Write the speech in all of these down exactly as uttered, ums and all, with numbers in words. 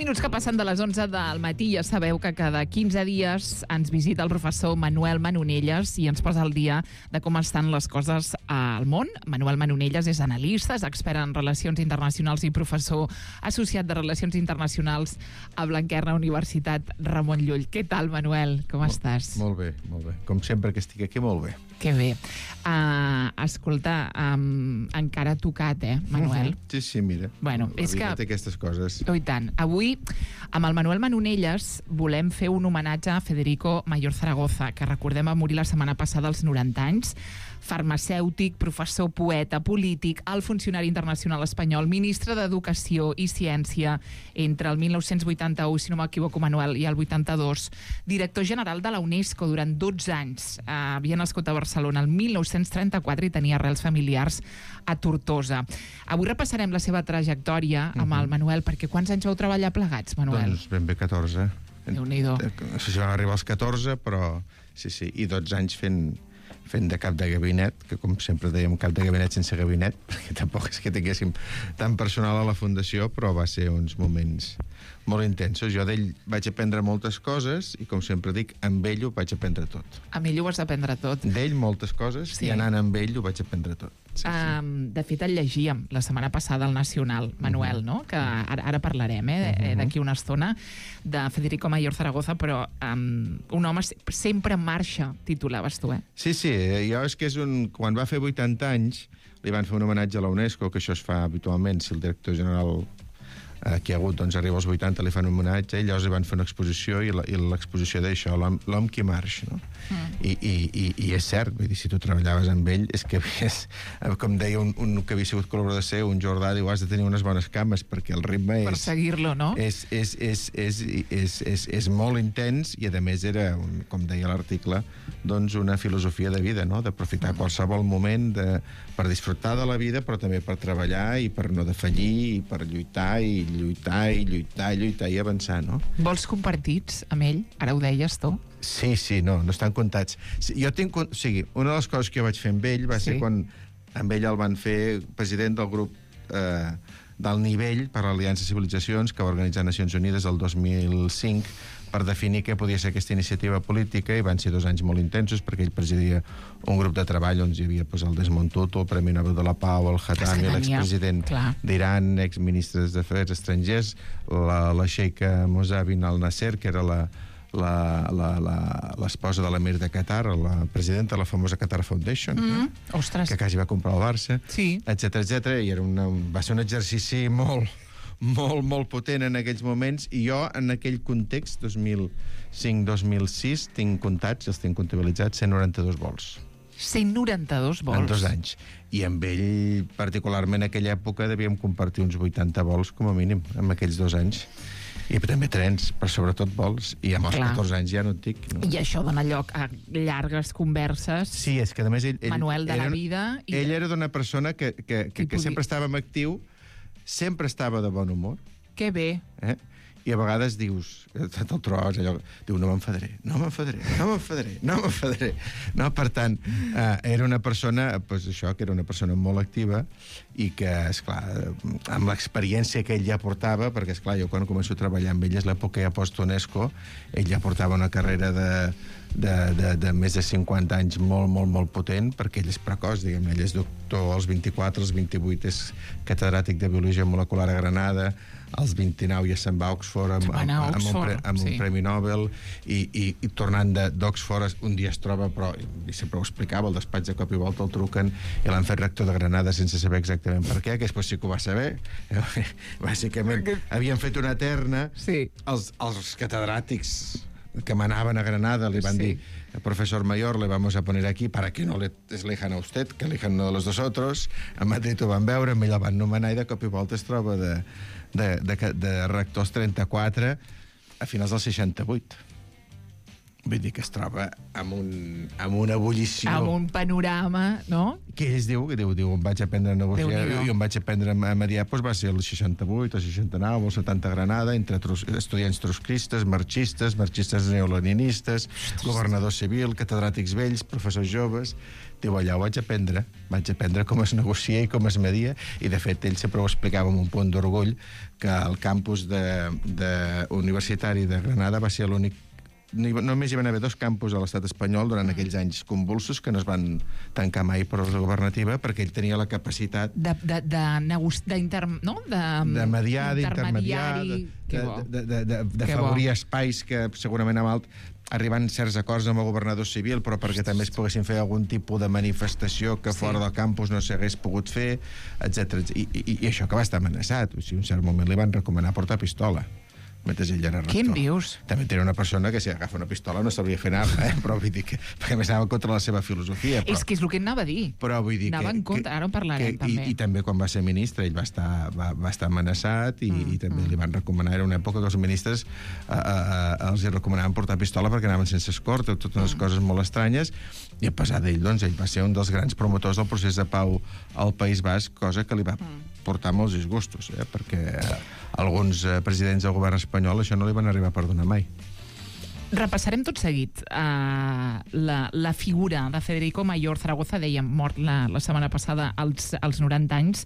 minuts que passen de les onze del matí. Ja sabeu que cada quinze dies ens visita el professor Manuel Manonelles i ens posa al dia de com estan les coses al món. Manuel Manonelles és analista, és expert en relacions internacionals i professor associat de Relacions Internacionals a Blanquerna Universitat Ramon Llull. Què tal, Manuel? Com Molt, estàs? Molt bé, molt bé. Com sempre que estic aquí, molt bé. Que bé. Uh, escolta, um, encara tocat, eh, Manuel? Uh-huh. Sí, sí, mira. Bueno, la és vida que... té aquestes coses. Oh, i tant. Avui, amb el Manuel Manonelles, volem fer un homenatge a Federico Mayor Zaragoza, que recordem va morir la setmana passada als noranta anys, farmacèutic, professor, poeta, polític, alt funcionari internacional espanyol, ministre d'Educació i Ciència entre el mil nou-cents vuitanta-u, si no m'equivoco, Manuel, i el vuitanta-dos, director general de la UNESCO durant dotze anys. Eh, havia nascut a Barcelona el mil nou-cents trenta-quatre i tenia arrels familiars a Tortosa. Avui repassarem la seva trajectòria amb uh-huh. el Manuel, perquè quants anys vau treballar plegats, Manuel? Doncs ben bé catorze. Déu-n'hi-do. No sé si van arribar als catorze, però sí, sí, i dotze anys fent fent de cap de gabinet, que com sempre dèiem cap de gabinet sense gabinet, perquè tampoc és que tinguéssim tant personal a la fundació, però va ser uns moments molt intensos. Jo d'ell vaig aprendre moltes coses i, com sempre dic, amb ell ho vaig aprendre tot. Amb ell ho vas aprendre tot. D'ell moltes coses, sí. I anant amb ell ho vaig aprendre tot. Sí, sí. Um, de fet, el llegíem la setmana passada al Nacional, Manuel, uh-huh. no? Que ara, ara parlarem, eh, uh-huh. d'aquí una estona, de Federico Mayor Zaragoza, però um, un home sempre en marxa, titulaves tu, eh? Sí, sí, jo és que és un... Quan va fer vuitanta anys, li van fer un homenatge a la UNESCO, que això es fa habitualment, si el director general eh, que hi ha hagut, doncs arriba als vuitanta, li fan un homenatge, i llavors li van fer una exposició, i l'exposició d'això, l'home qui marxa, no? Mm. I, i, i, I és cert, vull dir, si tu treballaves amb ell, és que havies, com deia un, un que havia sigut col·laborador seu, un Jordà, diu, has de tenir unes bones cames, perquè el ritme és... Per seguir-lo, no? És, és, és, és, és, és, és molt intens, i a més era, un, com deia l'article, doncs una filosofia de vida, no? D'aprofitar mm. qualsevol moment de, per disfrutar de la vida, però també per treballar i per no defallir, i per lluitar, i lluitar, i lluitar, i lluitar, i avançar, no? Vols compartits amb ell? Ara ho deies tu? Sí, sí, no, no estan comptats. Jo tinc... O sigui, una de les coses que jo vaig fer amb ell va sí. ser quan amb ell el van fer president del grup eh, del nivell per a l'Aliança de Civilitzacions que va organitzar Nacions Unides el dos mil cinc per definir què podia ser aquesta iniciativa política, i van ser dos anys molt intensos perquè ell presidia un grup de treball on hi havia pues, el Desmond Tutu, el Premi Nobel de la Pau, el Khatami, l'expresident d'Iran, exministres d'Afers Estrangers, la, la xeica Mosavin al-Nasser, que era la l'esposa de l'emir de Qatar, la presidenta de la famosa Qatar Foundation, mm, eh? que quasi va comprar el Barça, sí. etcètera, etcètera, i era una, va ser un exercici molt, molt, molt potent en aquells moments, i jo en aquell context, dos mil cinc dos mil sis, tinc comptats, els tinc comptabilitzats, cent noranta-dos vols. cent noranta-dos vols? En dos anys. I amb ell, particularment en aquella època, devíem compartir uns vuitanta vols, com a mínim, en aquells dos anys. I també trens, però sobretot vols, i amb els Clar. catorze anys ja no et dic. No? I això dona lloc a llargues converses. Sí, és que a més ell... ell Manuel de era, la vida... I... Ell era d'una persona que, que, que, que sempre estava actiu, sempre estava de bon humor. Que bé. Eh? I a vegades dius, te'l trobes allò, diu, no m'enfadaré, no m'enfadaré, no m'enfadaré, no m'enfadaré. No, per tant, eh, era una persona, pues això, que era una persona molt activa i que, esclar, amb l'experiència que ell ja portava, perquè, esclar, jo quan començo a treballar amb ell és l'època ja post-UNESCO, ell ja portava una carrera de, de, de, de més de cinquanta anys molt, molt, molt potent, perquè ell és precoç, diguem-ne, ell és doctor als vint-i-quatre, als vint-i-vuit és catedràtic de Biologia Molecular a Granada, als vint-i-nou ja se'n va a Oxford amb, amb, amb, amb, un, pre, amb sí. un Premi Nobel, i, i, i tornant d'Oxford un dia es troba, però i sempre ho explicava, al despatx de cop i volta el truquen i l'han fet rector de Granada sense saber exactament per què, que després sí que ho va saber. Bàsicament havien fet una terna, sí. els, els catedràtics que manaven a Granada li van sí. dir, profesor Mayor, le vamos a poner aquí para que no le elijan a usted, que elijan uno de los dos otros. A Madrid ho van veure, amb ell el van nomenar, i de cop i volta es troba de, de, de, de rectors trenta-quatre a finals del seixanta-vuit. Vull dir que es troba amb, un, amb una ebullició... Amb un panorama, no? Que ells diu, que diu, diu, em vaig aprendre a negociar i em vaig aprendre a mediar, doncs va ser el seixanta-vuit, el seixanta-nou, el setanta a Granada, entre trus, estudiants trotskistes, marxistes, marxistes neoleninistes, governador civil, catedràtics vells, professors joves... Diu, allà ho vaig aprendre, vaig aprendre com es negocia i com es media, i de fet ell sempre ho explicava amb un punt d'orgull que el campus de, de universitari de Granada va ser l'únic. Només hi van haver dos campus a l'estat espanyol durant aquells anys convulsos que no es van tancar mai per la governativa perquè ell tenia la capacitat de, de, de, negoci... d'inter... no? de, de mediar, d'intermediar, de, de, de, de, de, de favorir espais que segurament amb alt arribant a certs acords amb el governador civil, però perquè també es poguessin fer algun tipus de manifestació que sí. Fora del campus no s'hagués pogut fer, etcètera. I, i, I això que va estar amenaçat. O sigui, en un cert moment li van recomanar portar pistola mentre ell era rector. Què em dius? També tenia una persona que si agafa una pistola no sabria fer nada, eh? Però vull dir que... perquè més anava contra la seva filosofia. Però, és que és el que anava a dir. Però vull dir anava que... en contra, ara en parlarem, que, també. I, I també quan va ser ministre ell va estar, va, va estar amenaçat i, mm, i també mm. li van recomanar, era una època que els ministres a, a, a, els hi recomanaven portar pistola perquè anaven sense escorta, totes unes mm. coses molt estranyes, i a pesar d'ell, doncs, ell va ser un dels grans promotors del procés de pau al País Basc, cosa que li va mm. portar molts disgustos, eh? Perquè alguns eh, presidents del govern espanyol això no li van arribar a perdonar mai. Repassarem tot seguit uh, la, la figura de Federico Mayor Zaragoza, dèiem, mort la, la setmana passada als, als noranta anys,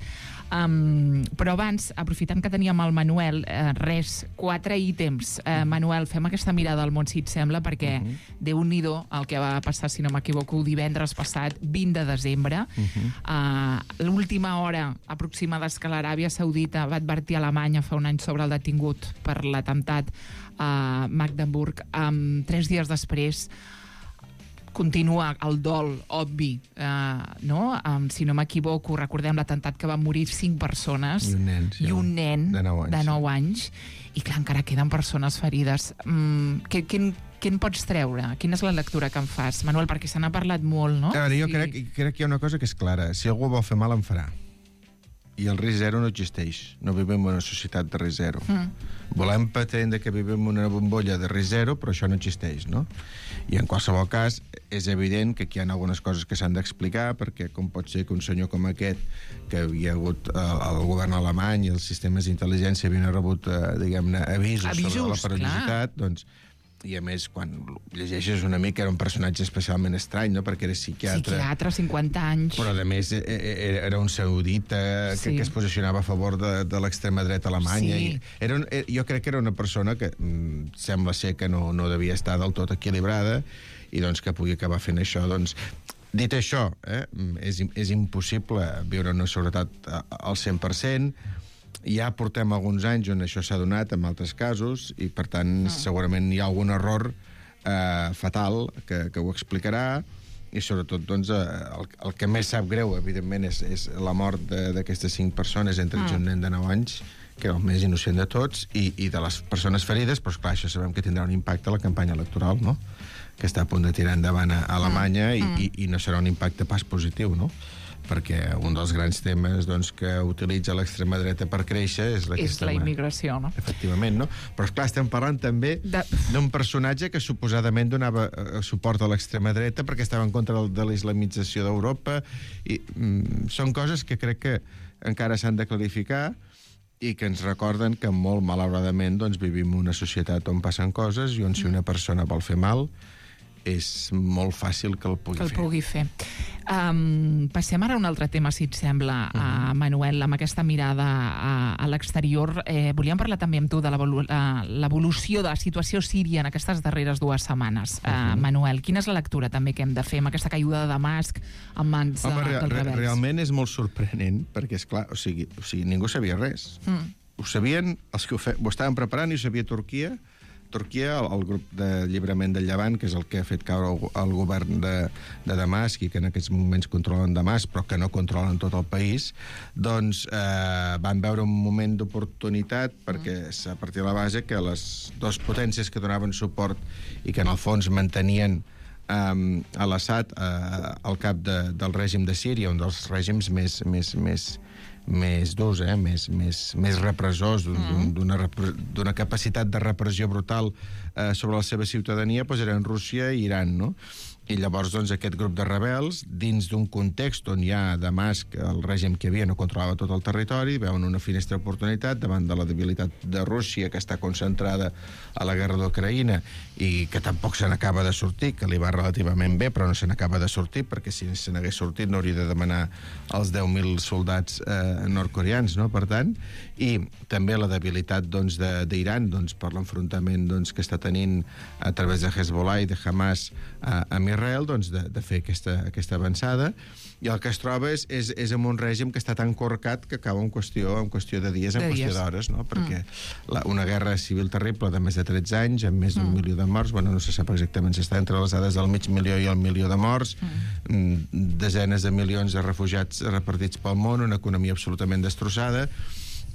um, però abans, aprofitant que teníem el Manuel, uh, res, quatre ítems. Uh, Manuel, fem aquesta mirada al món, si et sembla, perquè uh -huh. Déu-n'hi-do el que va passar, si no m'equivoco, el divendres passat, vint de desembre. Uh -huh. uh, L'última hora aproximada és que l'Aràbia Saudita va advertir a Alemanya fa un any sobre el detingut per l'atemptat a Magdeburg. Um, tres dies després continua el dol obvi, uh, no? Um, si no m'equivoco, recordem l'atemptat que van morir cinc persones i un nen, sí, i un nen de nou anys, de nou anys i clar, encara queden persones ferides. Um, què, què, què en pots treure? Quina és la lectura que en fas, Manuel? Perquè se n'ha parlat molt, no? A veure, jo sí. crec, crec que hi ha una cosa que és clara. Si algú vol fer mal, en farà. I el risc zero no existeix. No vivim en una societat de risc zero. Mm. Volem pretendre que vivim en una bombolla de risc zero, però això no existeix, no? I en qualsevol cas, és evident que aquí hi ha algunes coses que s'han d'explicar, perquè com pot ser que un senyor com aquest, que havia hagut eh, el govern alemany i els sistemes d'intel·ligència havien rebut, eh, diguem-ne, avisos, avisos sobre la perillositat, doncs, i a més, quan llegeixes una mica, era un personatge especialment estrany, no?, perquè era psiquiatre. Psiquiatre, cinquanta anys. Però, a més, era un saudita sí. que, que es posicionava a favor de, de l'extrema dreta alemanya. Sí. I era un, jo crec que era una persona que mm, sembla ser que no, no devia estar del tot equilibrada i doncs que pugui acabar fent això. Doncs, dit això, eh, és, és impossible viure en una seguretat al cent per cent. Ja portem alguns anys on això s'ha donat en altres casos i, per tant, ah. segurament hi ha algun error eh, fatal que, que ho explicarà i, sobretot, doncs, eh, el, el que més sap greu, evidentment, és, és la mort d'aquestes cinc persones, entre ells ah. un nen de nou anys, que era el més innocent de tots, i, i de les persones ferides, però, esclar, això sabem que tindrà un impacte a la campanya electoral, no?, que està a punt de tirar endavant a Alemanya ah. i, i, i no serà un impacte pas positiu, no?, perquè un dels grans temes, doncs, que utilitza l'extrema dreta per créixer és, és la immigració, no? Efectivament, no? Però, esclar, estem parlant també de... d'un personatge que suposadament donava suport a l'extrema dreta perquè estava en contra de la islamització d'Europa i mm, són coses que crec que encara s'han de clarificar i que ens recorden que molt malauradament doncs, vivim en una societat on passen coses i on si una persona vol fer mal és molt fàcil que el pugui que el fer. Pugui fer. Um, passem ara a un altre tema, si et sembla, uh -huh. uh, Manuel, amb aquesta mirada a, a l'exterior. Eh, volíem parlar també amb tu de l'evolució de la situació síria en aquestes darreres dues setmanes. Uh -huh. uh, Manuel, quina és la lectura també que hem de fer amb aquesta caiguda de Damasc en mans Home, uh, re, dels re, rebels? Realment és molt sorprenent, perquè, és clar, o sigui, o sigui ningú sabia res. Mm. Ho sabien els que ho, fe, ho estaven preparant i ho sabia Turquia, Turquia, el, el grup d'alliberament del Llevant, que és el que ha fet caure el, el govern de, de Damasc i que en aquests moments controlen Damasc, però que no controlen tot el país, doncs eh, van veure un moment d'oportunitat perquè mm. a partir de la base que les dues potències que donaven suport i que en el fons mantenien um, a l'Assad uh, al cap de, del règim de Síria, un dels règims més, més, més, més durs, eh? més, més, més repressors, d'una d'una capacitat de repressió brutal eh, sobre la seva ciutadania, doncs eren Rússia i Iran, no? I llavors, doncs, aquest grup de rebels, dins d'un context on ja Damasc, el règim que hi havia, no controlava tot el territori, veuen una finestra d'oportunitat davant de la debilitat de Rússia, que està concentrada a la guerra d'Ucraïna i que tampoc se n'acaba de sortir, que li va relativament bé, però no se n'acaba de sortir, perquè si se n'hagués sortit no hauria de demanar els deu mil soldats eh, nord-coreans, no? Per tant, i també la debilitat doncs, d'Iran doncs, per l'enfrontament doncs, que està tenint a través de Hezbollah i de Hamas a, a Israel, doncs, de, de fer aquesta, aquesta avançada, i el que es troba és, és, és en un règim que està tan corcat que acaba en qüestió, en qüestió de dies, en de qüestió dies. d'hores, no? Perquè mm. la, una guerra civil terrible de més de tretze anys, amb més d'un mm. milió de morts, bueno, no se sap exactament si està entre les dades del mig milió i el milió de morts, mm. desenes de milions de refugiats repartits pel món, una economia absolutament destrossada,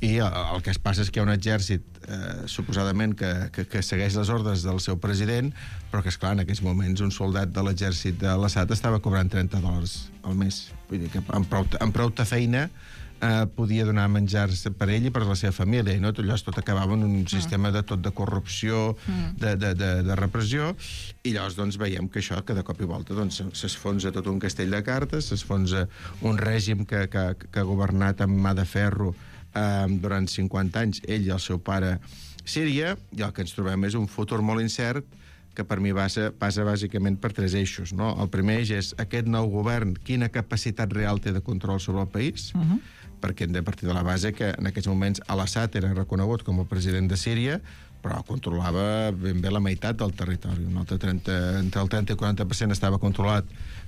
i el, el que es passa és que hi ha un exèrcit eh, suposadament que, que, que segueix les ordres del seu president, però que, esclar, en aquells moments un soldat de l'exèrcit de l'Assad estava cobrant trenta dòlars al mes. Vull dir que amb prou, amb prou feina eh, podia donar menjar per ell i per la seva família, i no? Tot allò tot acabava en un sistema de tot de corrupció, de, de, de, de repressió, i llavors doncs, veiem que això, que de cop i volta doncs, s'esfonsa tot un castell de cartes, s'esfonsa un règim que, que, que ha governat amb mà de ferro Uh, durant cinquanta anys, ell i el seu pare Síria, i el que ens trobem és un futur molt incert que per mi passa, passa bàsicament per tres eixos, no? El primer eix és aquest nou govern, quina capacitat real té de control sobre el país, uh -huh. perquè hem de partir de la base que en aquests moments Al-Assad era reconegut com a president de Síria, però controlava ben bé la meitat del territori. Un altre trenta, entre el trenta i el quaranta per cent estava controlat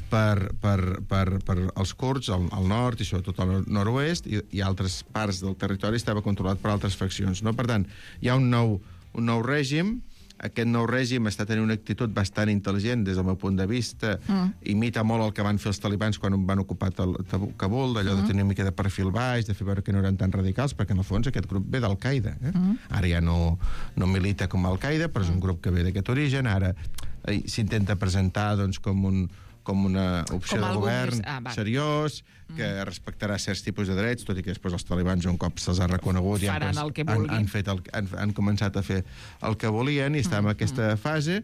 per, per, per, per els kurds al, al nord i sobretot al nord-oest, i, i altres parts del territori estava controlat per altres faccions, no? Per tant, hi ha un nou, un nou règim. Aquest nou règim està tenint una actitud bastant intel·ligent des del meu punt de vista, mm. imita molt el que van fer els talibans quan van ocupar Kabul, d'allò mm. de tenir una mica de perfil baix, de fer veure que no eren tan radicals, perquè en el fons aquest grup ve d'Al-Qaeda. Eh? Mm. Ara ja no, no milita com Al-Qaeda, però és un grup que ve d'aquest origen. Ara eh, s'intenta presentar doncs, com un com una opció com de govern ah, seriós, que mm. respectarà certs tipus de drets, tot i que després els talibans un cop se'ls ha reconegut i han, han, han, fet el, han, han començat a fer el que volien, i està en mm. aquesta fase.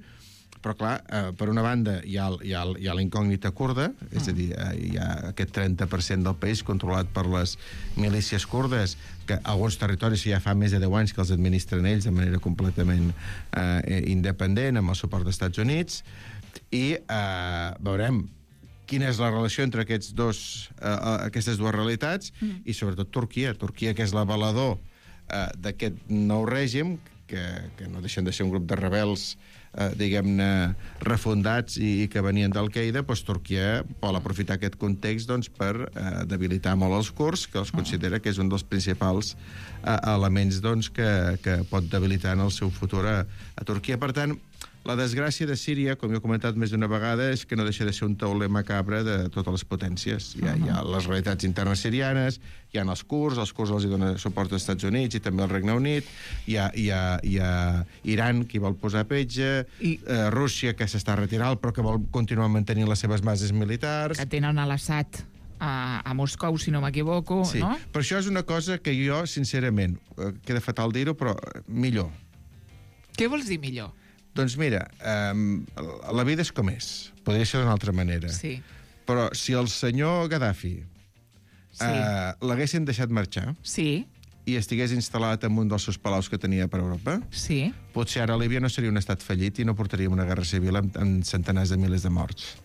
Però clar, eh, per una banda hi ha, hi ha, hi ha la incògnita kurda, mm. és a dir, eh, hi ha aquest trenta per cent del país controlat per les milícies kurdes, que alguns territoris ja fa més de deu anys que els administren ells de manera completament eh, independent, amb el suport dels Estats Units, i eh, veurem quina és la relació entre aquests dos, eh, aquestes dues realitats, mm. i sobretot Turquia. Turquia, que és l'avalador eh, d'aquest nou règim, que, que no deixen de ser un grup de rebels, eh, diguem-ne, refundats i, i que venien d'Al-Qaeda, doncs Turquia vol aprofitar aquest context doncs, per eh, debilitar molt els kurds, que els considera que és un dels principals eh, elements doncs, que, que pot debilitar en el seu futur a, a Turquia. Per tant, la desgràcia de Síria, com jo he comentat més d'una vegada, és que no deixa de ser un tauler macabre de totes les potències. Hi ha, hi ha les realitats internes sirianes, hi ha els kurds, els kurds els hi donen suport als Estats Units i també al Regne Unit, hi ha, hi ha, hi ha Iran, qui vol posar petja, I... eh, Rússia, que s'està retirant, però que vol continuar mantenint les seves bases militars. Que tenen a l'Assad a, a Moscou, si no m'equivoco, sí. no? Però això és una cosa que jo, sincerament, eh, queda fatal dir-ho, però millor. Què vols dir millor? Doncs mira, um, la vida és com és. Podria ser d'una altra manera. Sí. Però si el senyor Gaddafi sí. uh, l'haguessin deixat marxar sí. i estigués instal·lat en un dels seus palaus que tenia per Europa, sí. potser ara Líbia no seria un estat fallit i no portaríem una guerra civil amb, amb centenars de milers de morts.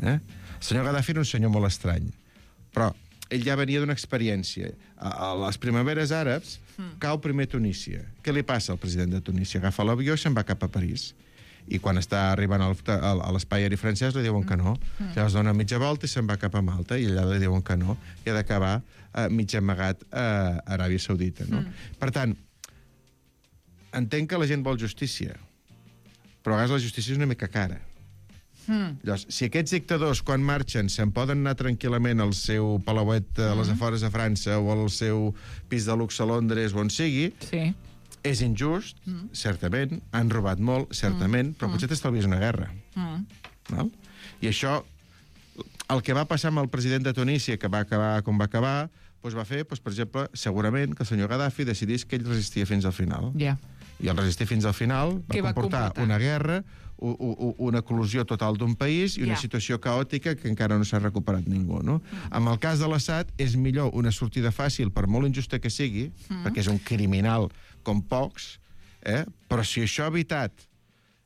Eh? El senyor Gaddafi era un senyor molt estrany, però ell ja venia d'una experiència. A, a les primaveres àrabs mm. cau primer Tunísia. Què li passa al president de Tunísia? Agafa l'avió i se'n va cap a París. I quan està arribant al, al, a l'espai aeri francès li diuen que no. Mm. Llavors dona mitja volta i se'n va cap a Malta i allà li diuen que no. I ha d'acabar eh, mig amagat a Aràbia Saudita. No? Mm. Per tant, entenc que la gent vol justícia, però a vegades la justícia és una mica cara. Mm. Llavors, si aquests dictadors, quan marxen, se'n poden anar tranquil·lament al seu palauet a les mm. afores de França o al seu pis de luxe a Londres o on sigui, sí. és injust, mm. certament, han robat molt, certament, mm. però potser t'estalvies una guerra. Mm. Val? I això, el que va passar amb el president de Tunísia, que va acabar com va acabar, doncs va fer, doncs, per exemple, segurament que el senyor Gaddafi decidís que ell resistia fins al final. Ja. I el resistir fins al final va Què va comportar, comportar? una guerra, u, u, una eclosió total d'un país i una Ja. situació caòtica que encara no s'ha recuperat ningú. No? Mm. Amb el cas de l'Assad és millor una sortida fàcil, per molt injusta que sigui, mm. perquè és un criminal com pocs, eh? Però si això ha evitat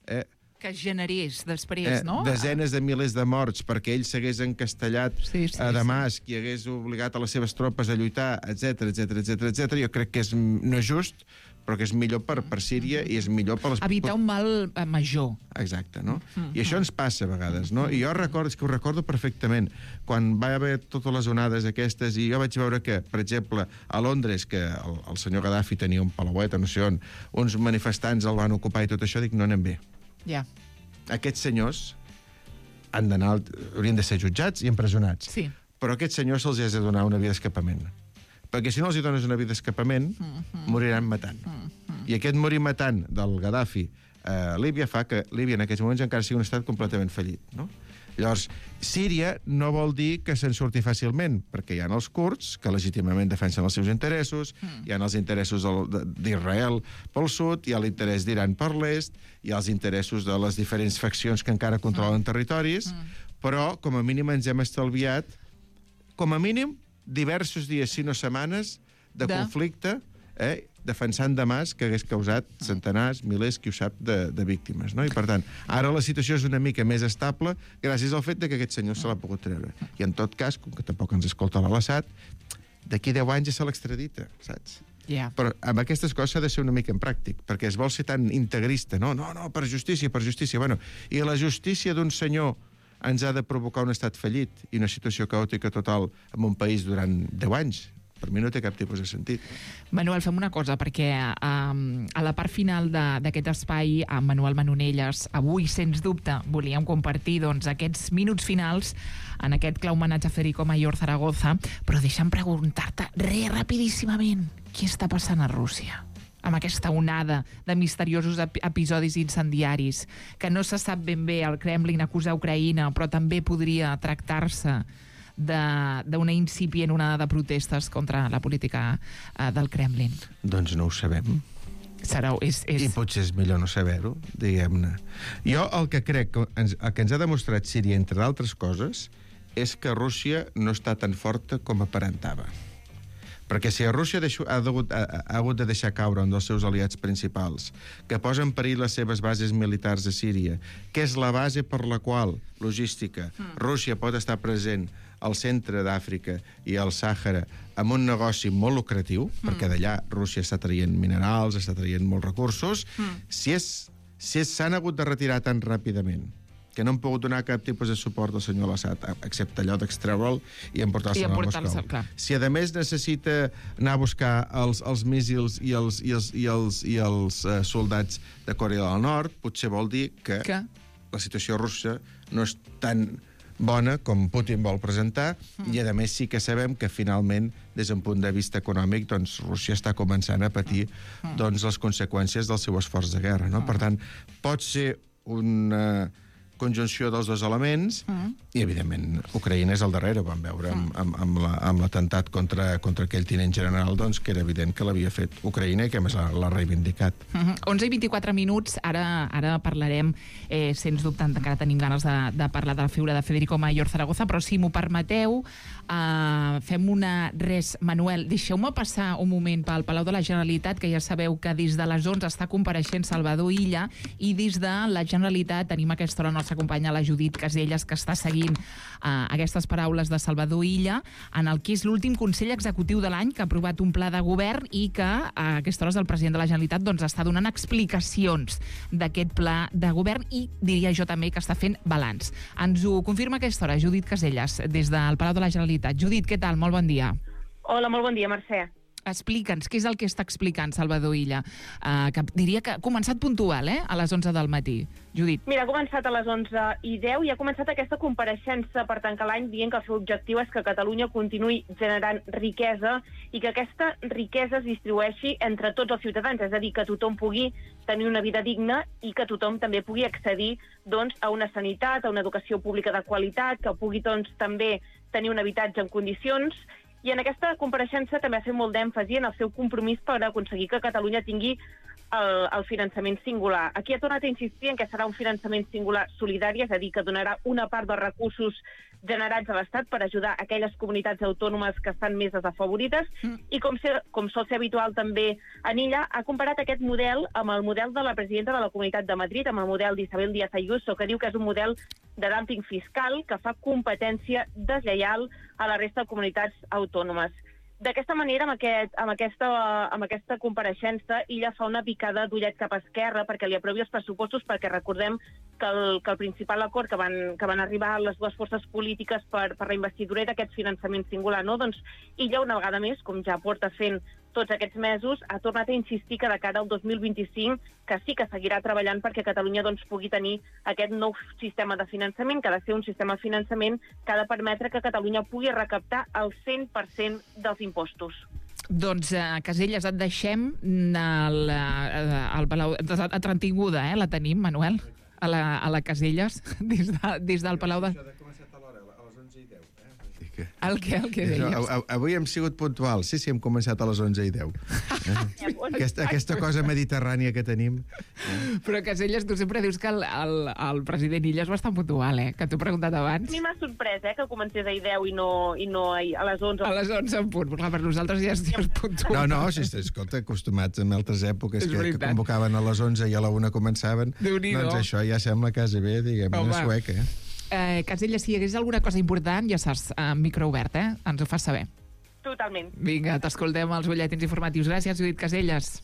eh, Que generés després, eh, no? desenes de milers de morts perquè ell s'hagués encastellat Sí, sí, a Damasc sí. i hagués obligat a les seves tropes a lluitar, etc etc etc etc. Jo crec que és, no és just, però que és millor per, per Síria i és millor per les... Evitar un mal eh, major. Exacte, no? I això ens passa a vegades, no? I jo recordo, és que ho recordo perfectament, quan va haver totes les onades aquestes, i jo vaig veure que, per exemple, a Londres, que el, el senyor Gaddafi tenia un palauet, no sé on, uns manifestants el van ocupar i tot això, dic, no anem bé. Ja. Aquests senyors han d'anar, haurien de ser jutjats i empresonats. Sí. Però a aquests senyors se'ls ha de donar una via d'escapament. Perquè si no els hi dones una via d'escapament, mm-hmm. moriran matant. Mm-hmm. I aquest morir matant del Gaddafi a Líbia fa que Líbia en aquests moments encara sigui un estat completament fallit, no? Llavors, Síria no vol dir que se'n surti fàcilment, perquè hi ha els kurds, que legítimament defensen els seus interessos, mm. hi ha els interessos d'Israel pel sud, hi ha l'interès d'Iran per l'est, hi ha els interessos de les diferents faccions que encara controlen mm. territoris, mm. però, com a mínim, ens hem estalviat, com a mínim, diversos dies, si no setmanes, de, de... conflicte, eh, defensant Damasc, que hagués causat centenars, milers, qui ho sap, de, de víctimes. No? I, per tant, ara la situació és una mica més estable gràcies al fet de que aquest senyor se l'ha pogut treure. I, en tot cas, com que tampoc ens escolta l'Assad, d'aquí deu anys ja se l'extradita, saps? Yeah. Però amb aquestes coses s'ha de ser una mica en pràctic, perquè es vol ser tan integrista. No, no, no, per justícia, per justícia. Bueno, i la justícia d'un senyor ens ha de provocar un estat fallit i una situació caòtica total en un país durant deu anys. Per mi no té cap tipus de sentit. Manuel, fem una cosa, perquè um, a la part final d'aquest espai, amb Manuel Manonelles, avui, sens dubte, volíem compartir doncs, aquests minuts finals en aquest clar homenatge a Federico Mayor Zaragoza, però deixa'm preguntar-te, re, rapidíssimament, què està passant a Rússia? Amb aquesta onada de misteriosos ep episodis incendiaris, que no se sap ben bé, el Kremlin acusa Ucraïna, però també podria tractar-se d'una incipient onada de protestes contra la política uh, del Kremlin. Doncs no ho sabem. Serà, és, és... I potser és millor no saber-ho, diguem-ne. Jo el que crec que ens, el que ens ha demostrat Síria, entre d'altres coses, és que Rússia no està tan forta com aparentava. Perquè si a Rússia deixo, ha, degut, ha, ha hagut de deixar caure un dels seus aliats principals, que posa en perill les seves bases militars a Síria, que és la base per la qual, logística, mm. Rússia pot estar present al centre d'Àfrica i al Sàhara amb un negoci molt lucratiu, mm. perquè d'allà Rússia està traient minerals, està traient molts recursos, mm. si és, si és, s'han hagut de retirar tan ràpidament que no han pogut donar cap tipus de suport al senyor Assad, excepte allò d'extreure'l i emportar-se'l a Moscou. Si, a més, necessita anar a buscar els, els míssils i els, i els, i els, i els uh, soldats de Corea del Nord, potser vol dir que, que la situació russa no és tan bona com Putin vol presentar, mm. i, a més, sí que sabem que, finalment, des d'un punt de vista econòmic, doncs, Rússia està començant a patir mm. doncs, les conseqüències del seu esforç de guerra. No? Mm. Per tant, pot ser una conjunció dels dos elements, mm. i, evidentment, Ucraïna és al darrere. Vam veure amb, amb, amb, la, amb l'atemptat contra, contra aquell tinent general, doncs, que era evident que l'havia fet Ucraïna i que, a més, l'ha reivindicat. Mm-hmm. onze i vint-i-quatre minuts, ara, ara parlarem, eh, sens dubte, encara tenim ganes de, de parlar de la figura de Federico Mayor Zaragoza, però si m'ho permeteu, eh, fem una... Res, Manuel, deixeu-me passar un moment pel Palau de la Generalitat, que ja sabeu que des de les onze està compareixent Salvador Illa, i des de la Generalitat tenim aquesta hora nostra companya, la Judit Caselles, que està seguint uh, aquestes paraules de Salvador Illa en el que és l'últim Consell Executiu de l'any, que ha aprovat un pla de govern i que a aquestes hores el president de la Generalitat doncs, està donant explicacions d'aquest pla de govern i diria jo també que està fent balanç. Ens ho confirma a aquesta hora Judit Caselles, des del Palau de la Generalitat. Judit, què tal? Molt bon dia. Hola, molt bon dia, Mercè. Explica'ns, què és el que està explicant Salvador Illa? Uh, que diria que ha començat puntual, eh?, a les onze del matí. Judit. Mira, ha començat a les onze i deu i ha començat aquesta compareixença per tancar l'any dient que el seu objectiu és que Catalunya continuï generant riquesa i que aquesta riquesa es distribueixi entre tots els ciutadans, és a dir, que tothom pugui tenir una vida digna i que tothom també pugui accedir doncs, a una sanitat, a una educació pública de qualitat, que pugui doncs, també tenir un habitatge en condicions. I en aquesta compareixença també ha fet molt d'èmfasi en el seu compromís per aconseguir que Catalunya tingui el, el finançament singular. Aquí ha tornat a insistir en que serà un finançament singular solidari, és a dir, que donarà una part dels recursos generats a l'Estat per ajudar aquelles comunitats autònomes que estan més desafavorides. Mm. I com, ser, com sol ser habitual també en Illa, ha comparat aquest model amb el model de la presidenta de la Comunitat de Madrid, amb el model d'Isabel Díaz Ayuso, que diu que és un model de dumping fiscal que fa competència deslleial a la resta de comunitats autònomes. D'aquesta manera, amb, aquest, amb, aquesta, amb aquesta compareixença, Illa fa una picada d'ullet cap a esquerra perquè li aprovi els pressupostos, perquè recordem que el, que el principal acord que van, que van arribar les dues forces polítiques per, per la investidura era aquest finançament singular, no? Doncs Illa, una vegada més, com ja porta fent tots aquests mesos, ha tornat a insistir que de cara al dos mil vint-i-cinc que sí que seguirà treballant perquè Catalunya doncs, pugui tenir aquest nou sistema de finançament, que ha de ser un sistema de finançament que ha de permetre que Catalunya pugui recaptar el cent per cent dels impostos. Doncs, uh, Caselles, et deixem al, al Palau... Entretinguda, eh? La tenim, Manuel, a la, a la Caselles, des, de, des del Palau de... El què, el que deies? No, avui hem sigut puntual. Sí, sí, hem començat a les onze i deu. Eh? aquesta, aquesta cosa mediterrània que tenim. Eh? Però, Caselles, tu sempre dius que el, el, el president Illa és bastant puntual, eh? Que t'ho he preguntat abans. A mi m'ha sorprès, eh? Que comencés a deu i no, i no a les onze. A les onze en punt. Clar, per nosaltres ja és, ja és puntual. No, no, si escolta, acostumats en altres èpoques que, que convocaven a les onze i a la una començaven, doncs això ja sembla quasi bé, diguem, una sueca, eh? Eh, Caselles, si hi hagués alguna cosa important, ja saps, eh, micro obert, eh? Ens ho fas saber. Totalment. Vinga, t'escoltem als butlletins informatius. Gràcies, Judit Caselles.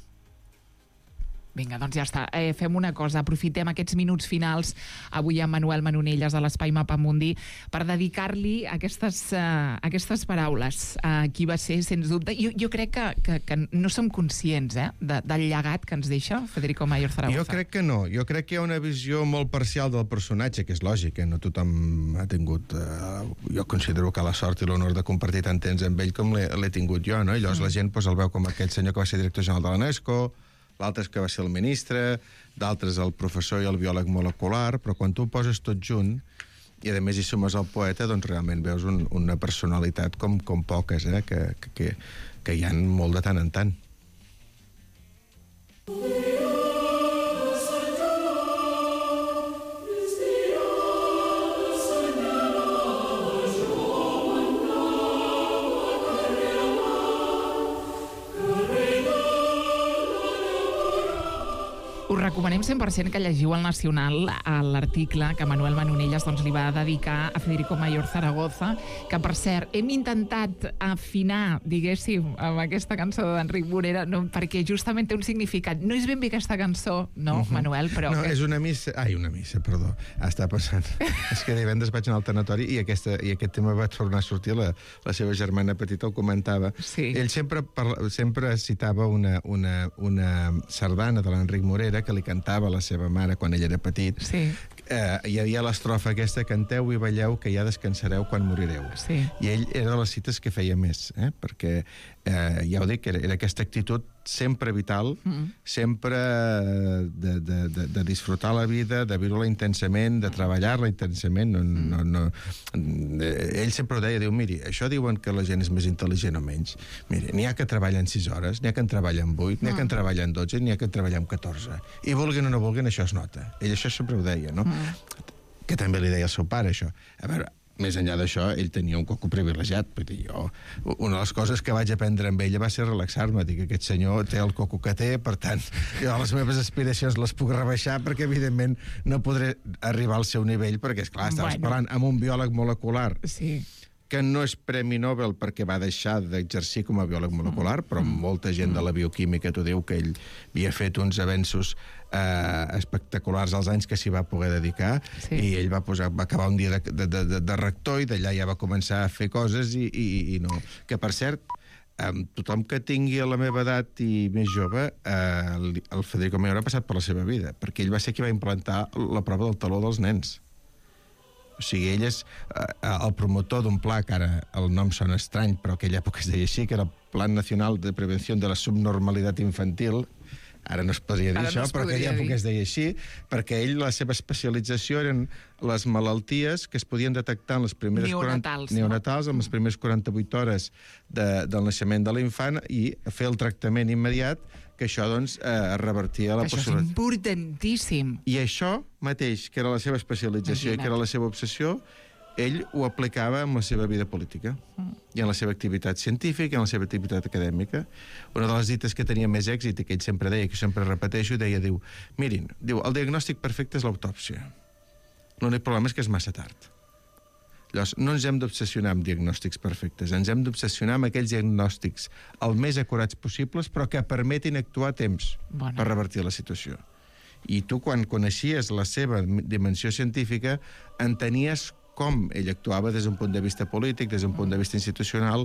Vinga, doncs ja està. Eh, fem una cosa, aprofitem aquests minuts finals avui amb Manuel Manonelles de l'Espai Mapamundi per dedicar-li aquestes, uh, aquestes paraules a uh, qui va ser, sens dubte. Jo, jo crec que, que, que no som conscients eh, de, del llegat que ens deixa Federico Mayor Zaragoza. Jo crec que no. Jo crec que hi ha una visió molt parcial del personatge, que és lògic, eh? No tothom ha tingut... Uh, jo considero que la sort i l'honor de compartir tant temps amb ell com l'he tingut jo, no? I llavors mm. la gent pues, el veu com aquell senyor que va ser director general de l'UNESCO, l'altre que va ser el ministre, d'altres el professor i el biòleg molecular, però quan tu ho poses tot junt i a més hi sumes el poeta, doncs realment veus un, una personalitat com, com poques, eh? que, que, que hi ha molt de tant en tant. Us recomanem cent per cent que llegiu al Nacional l'article que Manuel Manonelles doncs, li va dedicar a Federico Mayor Zaragoza, que, per cert, hem intentat afinar, diguéssim, amb aquesta cançó d'Enric Morera, no, perquè justament té un significat. No és ben bé aquesta cançó, no, uh-huh. Manuel, però... No, que... és una missa... Ai, una missa, perdó. Està passant. És que divendres vaig anar al tanatori i, aquesta, i aquest tema va tornar a sortir, la, la seva germana petita el comentava. Sí. Ell sempre, parla, sempre citava una, una, una sardana de l'Enric Morera que li cantava a la seva mare quan ell era petit. Sí. Eh, hi havia l'estrofa aquesta: canteu i balleu que ja descansareu quan morireu. Sí. I ell era de les cites que feia més, eh? Perquè eh, ja ho dic, era, era aquesta actitud sempre vital, mm. sempre de, de, de, de disfrutar la vida, de viure-la intensament, de treballar-la intensament. No, mm. no, no. Ell sempre ho deia, diu, miri, això diuen que la gent és més intel·ligent o menys. Miri, n'hi ha que treballen sis hores, n'hi ha que en treballen vuit, n'hi ha que en treballen dotze, n'hi ha que en treballen catorze. I vulguin o no vulguin, això es nota. Ell això sempre ho deia, no? Mm. Que també li deia al seu pare, això. A veure, més enllà d'això, ell tenia un coco privilegiat. Vull dir, jo, una de les coses que vaig aprendre amb ella va ser relaxar-me. Dic que aquest senyor té el coco que té, per tant, jo les meves aspiracions les puc rebaixar perquè, evidentment, no podré arribar al seu nivell, perquè, esclar, estaves bueno. parlant amb un biòleg molecular sí. que no és Premi Nobel perquè va deixar d'exercir com a biòleg molecular, però molta gent de la bioquímica t'ho diu que ell havia fet uns avenços eh, espectaculars als anys que s'hi va poder dedicar, sí. i ell va, posar, va acabar un dia de, de, de, de rector i d'allà ja va començar a fer coses i, i, i no. Que, per cert, amb tothom que tingui a la meva edat i més jove, eh, el Federico Mayor ha passat per la seva vida, perquè ell va ser qui va implantar la prova del taló dels nens. O sigui, ell és eh, el promotor d'un pla que ara el nom sona estrany, però aquella època es deia així, que era el Plan Nacional de Prevenció de la Subnormalitat Infantil. Ara no es podria dir Ara això, no es però aquella podria època dir. es deia així, perquè ell, la seva especialització eren les malalties que es podien detectar en les primeres Neonatals, quaranta, neonatals en les primeres quaranta-vuit hores de, del naixement de l'infant i fer el tractament immediat, que això, doncs, eh, revertia la Això és possibilitat. importantíssim. I això mateix, que era la seva especialització Imagina't. i que era la seva obsessió, ell ho aplicava en la seva vida política i en la seva activitat científica i en la seva activitat acadèmica. Una de les dites que tenia més èxit i que ell sempre deia, que sempre repeteixo, deia, diu, mirin, diu, el diagnòstic perfecte és l'autòpsia. L'únic problema és que és massa tard. Llavors, no ens hem d'obsessionar amb diagnòstics perfectes, ens hem d'obsessionar amb aquells diagnòstics el més acurats possibles, però que permetin actuar a temps Bona. per revertir la situació. I tu, quan coneixies la seva dimensió científica, entenies com ell actuava des d'un punt de vista polític, des d'un punt de vista institucional,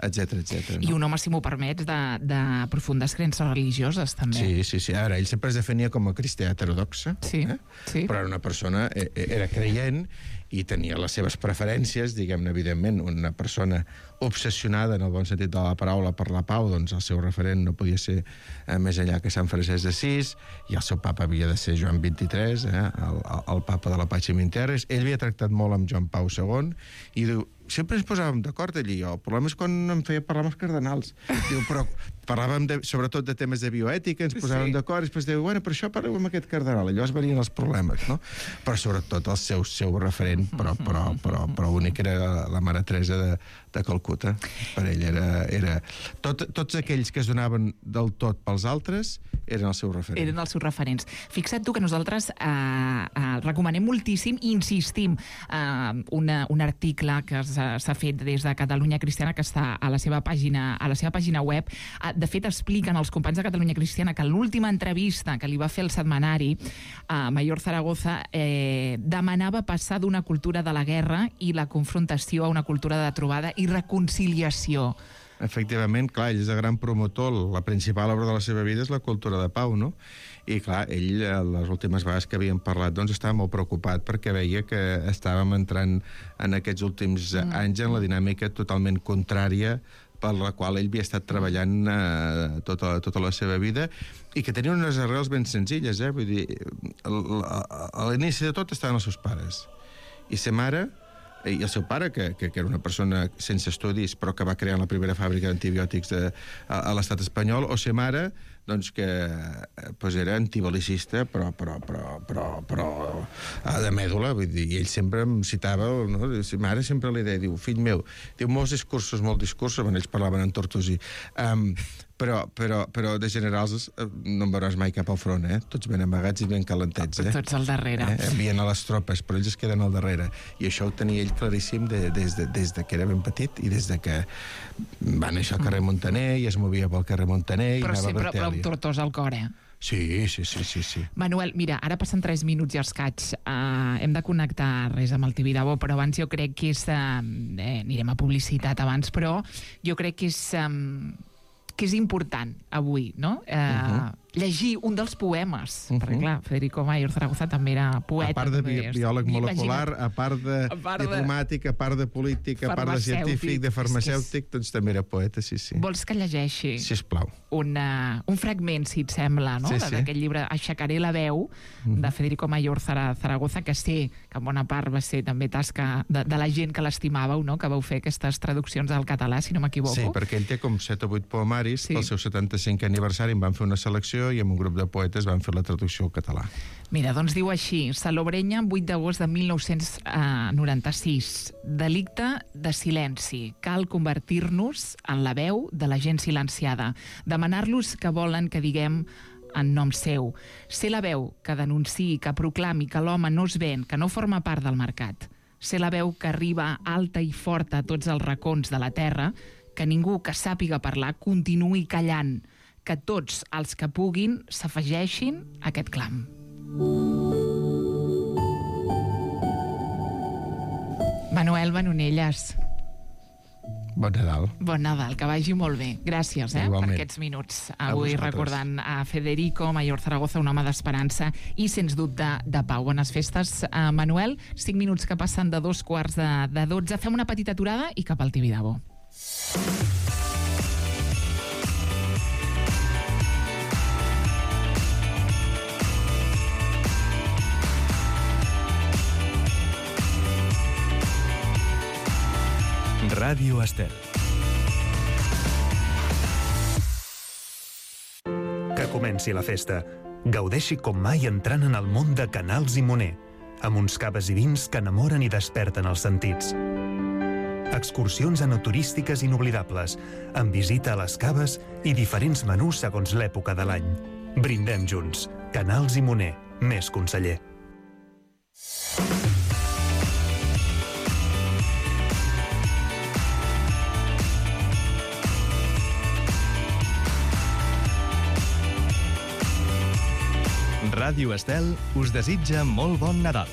etcètera, etcètera. I un home, si m'ho permets, de, de profundes creences religioses, també. Sí, sí, sí. Ara, ell sempre es definia com a cristià heterodoxa, Sí, eh? sí. Però era una persona, eh, era creient i tenia les seves preferències, diguem-ne, evidentment, una persona obsessionada, en el bon sentit de la paraula, per la pau, doncs el seu referent no podia ser eh, més enllà que Sant Francesc d'Assís, i el seu papa havia de ser Joan vint-i-tres, eh, el, el papa de la Pàcim Terres. Ell havia tractat molt amb Joan Pau segon, i diu, sempre ens posàvem d'acord allí. El problema és quan em feia parlar amb els cardenals. Diu, però parlàvem de, sobretot de temes de bioètica, ens posàvem Sí. d'acord, i després diu, bueno, per això parleu amb aquest cardenal. I llavors venien els problemes, no? Però sobretot el seu, seu referent, però, però, però, però únic era la, la Mare Teresa de, de Calcuta. Per ell era... era tot, tots aquells que es donaven del tot pels altres eren el seu referent. Eren els seus referents. Fixa't tu que nosaltres eh, eh, recomanem moltíssim i insistim eh, una, un article que s'ha fet des de Catalunya Cristiana, que està a la seva pàgina, a la seva pàgina web. De fet, expliquen els companys de Catalunya Cristiana que l'última entrevista que li va fer el setmanari a Mayor Zaragoza eh, demanava passar d'una cultura de la guerra i la confrontació a una cultura de trobada i reconciliació. Efectivament, clar, ell és el gran promotor, la principal obra de la seva vida és la cultura de pau, no? I clar, ell, les últimes vegades que havíem parlat, doncs estava molt preocupat perquè veia que estàvem entrant en aquests últims mm. anys en la dinàmica totalment contrària per la qual ell havia estat treballant eh, tota, tota la seva vida i que tenia unes arrels ben senzilles, eh? Vull dir, a l'inici de tot estaven els seus pares. I sa mare, i el seu pare, que, que, que era una persona sense estudis, però que va crear la primera fàbrica d'antibiòtics de, a, a l'estat espanyol, o sa mare, doncs que pues era antibelicista, però, però, però, però, però de mèdula, vull dir, i ell sempre em citava, no? Sa mare sempre li deia, diu, fill meu, diu, molts discursos, molts discursos, bueno, ells parlaven en tortosí, um, però, però, però de generals no en veuràs mai cap al front, eh? Tots ben amagats i ben calentets, eh? Tots al darrere. Eh? Envien a les tropes, però ells es queden al darrere. I això ho tenia ell claríssim de, des, de, des de que era ben petit i des de que va néixer al carrer Montaner i es movia pel carrer Montaner i Però anava sí, a però, però Bertèlia. amb tortós al cor, eh? Sí, sí, sí, sí, sí. Manuel, mira, ara passen tres minuts i escaig. Uh, hem de connectar res amb el Tibidabo, però abans jo crec que és... Uh, eh, anirem a publicitat abans, però jo crec que és... Um, que és important avui, no? Eh, uh-huh. Llegir un dels poemes, uh-huh. perquè clar, Federico Mayor Zaragoza també era poeta. A part de bi també, biòleg molecular, imagina't. a part de A part de- diplomàtic, a part de polític, a part de científic, de Farmacèutic. farmacèutic, doncs també era poeta, sí, sí. Vols que llegeixi Sisplau. una, un fragment, si et sembla, no? Sí, sí. D'aquest llibre Aixecaré la veu, de Federico Mayor Zara- Zaragoza, que sé que en bona part va ser també tasca de, de la gent que l'estimàveu, no? Que vau fer aquestes traduccions al català, si no m'equivoco. Sí, perquè ell té com set o vuit poemaris, Sí. pel seu setanta-cinquè aniversari en van fer una selecció i amb un grup de poetes van fer la traducció al català. Mira, doncs diu així, Salobreña, vuit d'agost de mil nou-cents noranta-sis. Delicte de silenci. Cal convertir-nos en la veu de la gent silenciada. Demanar-los que volen que diguem en nom seu. Ser la veu que denunciï, que proclami que l'home no es ven, que no forma part del mercat. Ser la veu que arriba alta i forta a tots els racons de la terra, que ningú que sàpiga parlar continuï callant, que tots els que puguin s'afegeixin a aquest clam. Manuel Manonelles. Bon Nadal. Bon Nadal, que vagi molt bé. Gràcies eh, per Igualment. aquests minuts. A Avui vosaltres. recordant a Federico Mayor Zaragoza, un home d'esperança i, sens dubte, de pau. Bones festes, uh, Manuel. Cinc minuts que passen de dos quarts de, de dotze. Fem una petita aturada i cap al Tibidabo. Ràdio Estel. Que comenci la festa. Gaudeixi com mai entrant en el món de Canals i Moner, amb uns caves i vins que enamoren i desperten els sentits. Excursions enoturístiques inoblidables, amb visita a les caves i diferents menús segons l'època de l'any. Brindem junts. Canals i Moner. Més conseller. Ràdio Estel us desitja molt bon Nadal.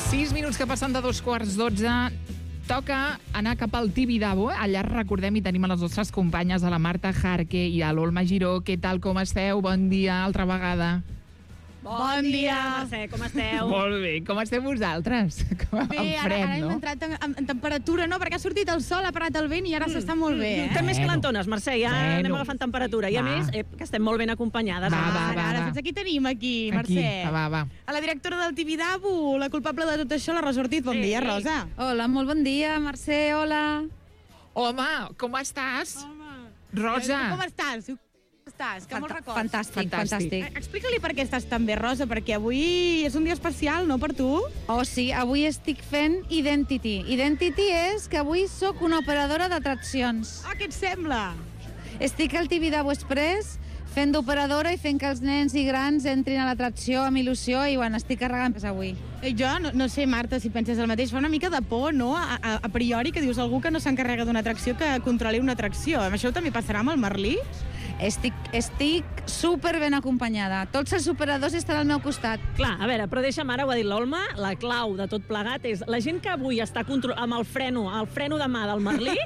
Sis minuts que passen de dos quarts dotze. Toca anar cap al Tibidabo. Allà recordem i tenim a les nostres companyes, a la Marta Jarque i a l'Olma Giró. Què tal, com esteu? Bon dia, altra vegada. Bon, bon dia, Mercè, com esteu? Molt bé, com esteu vosaltres? Com Bé, amb ara, fred, ara hem no? entrat en, en, en temperatura, no? Perquè ha sortit el sol, ha parat el vent i ara s'està molt bé, eh? Estem més calentones, Mercè, ja Bueno. anem agafant temperatura. I a Va. més, eh, que estem molt ben acompanyades. Va, va, Ara, va, ara, va. saps qui tenim aquí, Aquí, Mercè? va, va. A la directora del Tibidabo, la culpable de tot això, la Rosa Ortiz. Bon Ei, dia, ei. Rosa. Hola, molt bon dia, Mercè, hola. Home, com estàs? Home. Rosa. Com estàs? Com estàs? Que molts records. Fantàstic, Fantàstic. fantàstic. Eh, Explica-li per què estàs tan bé, Rosa, perquè avui és un dia especial, no, per tu? Oh, sí, avui estic fent Identity. Identity és que avui sóc una operadora d'atraccions. Ah, què et sembla? Estic al Tibidabo Express fent d'operadora i fent que els nens i grans entrin a l'atracció amb il·lusió i, bueno, estic carregant pes avui. Eh, Jo no, no sé, Marta, si penses el mateix. Fa una mica de por, no?, a, a, a priori, que dius algú que no s'encarrega d'una atracció que controli una atracció. Amb això també passarà amb el Merlí? Estic, estic super ben acompanyada. Tots els operadors estan al meu costat. Clar, a veure, però deixa'm ara, ho ha dit l'Olma, la clau de tot plegat és la gent que avui està contro- amb el freno, el freno de mà del Merlí,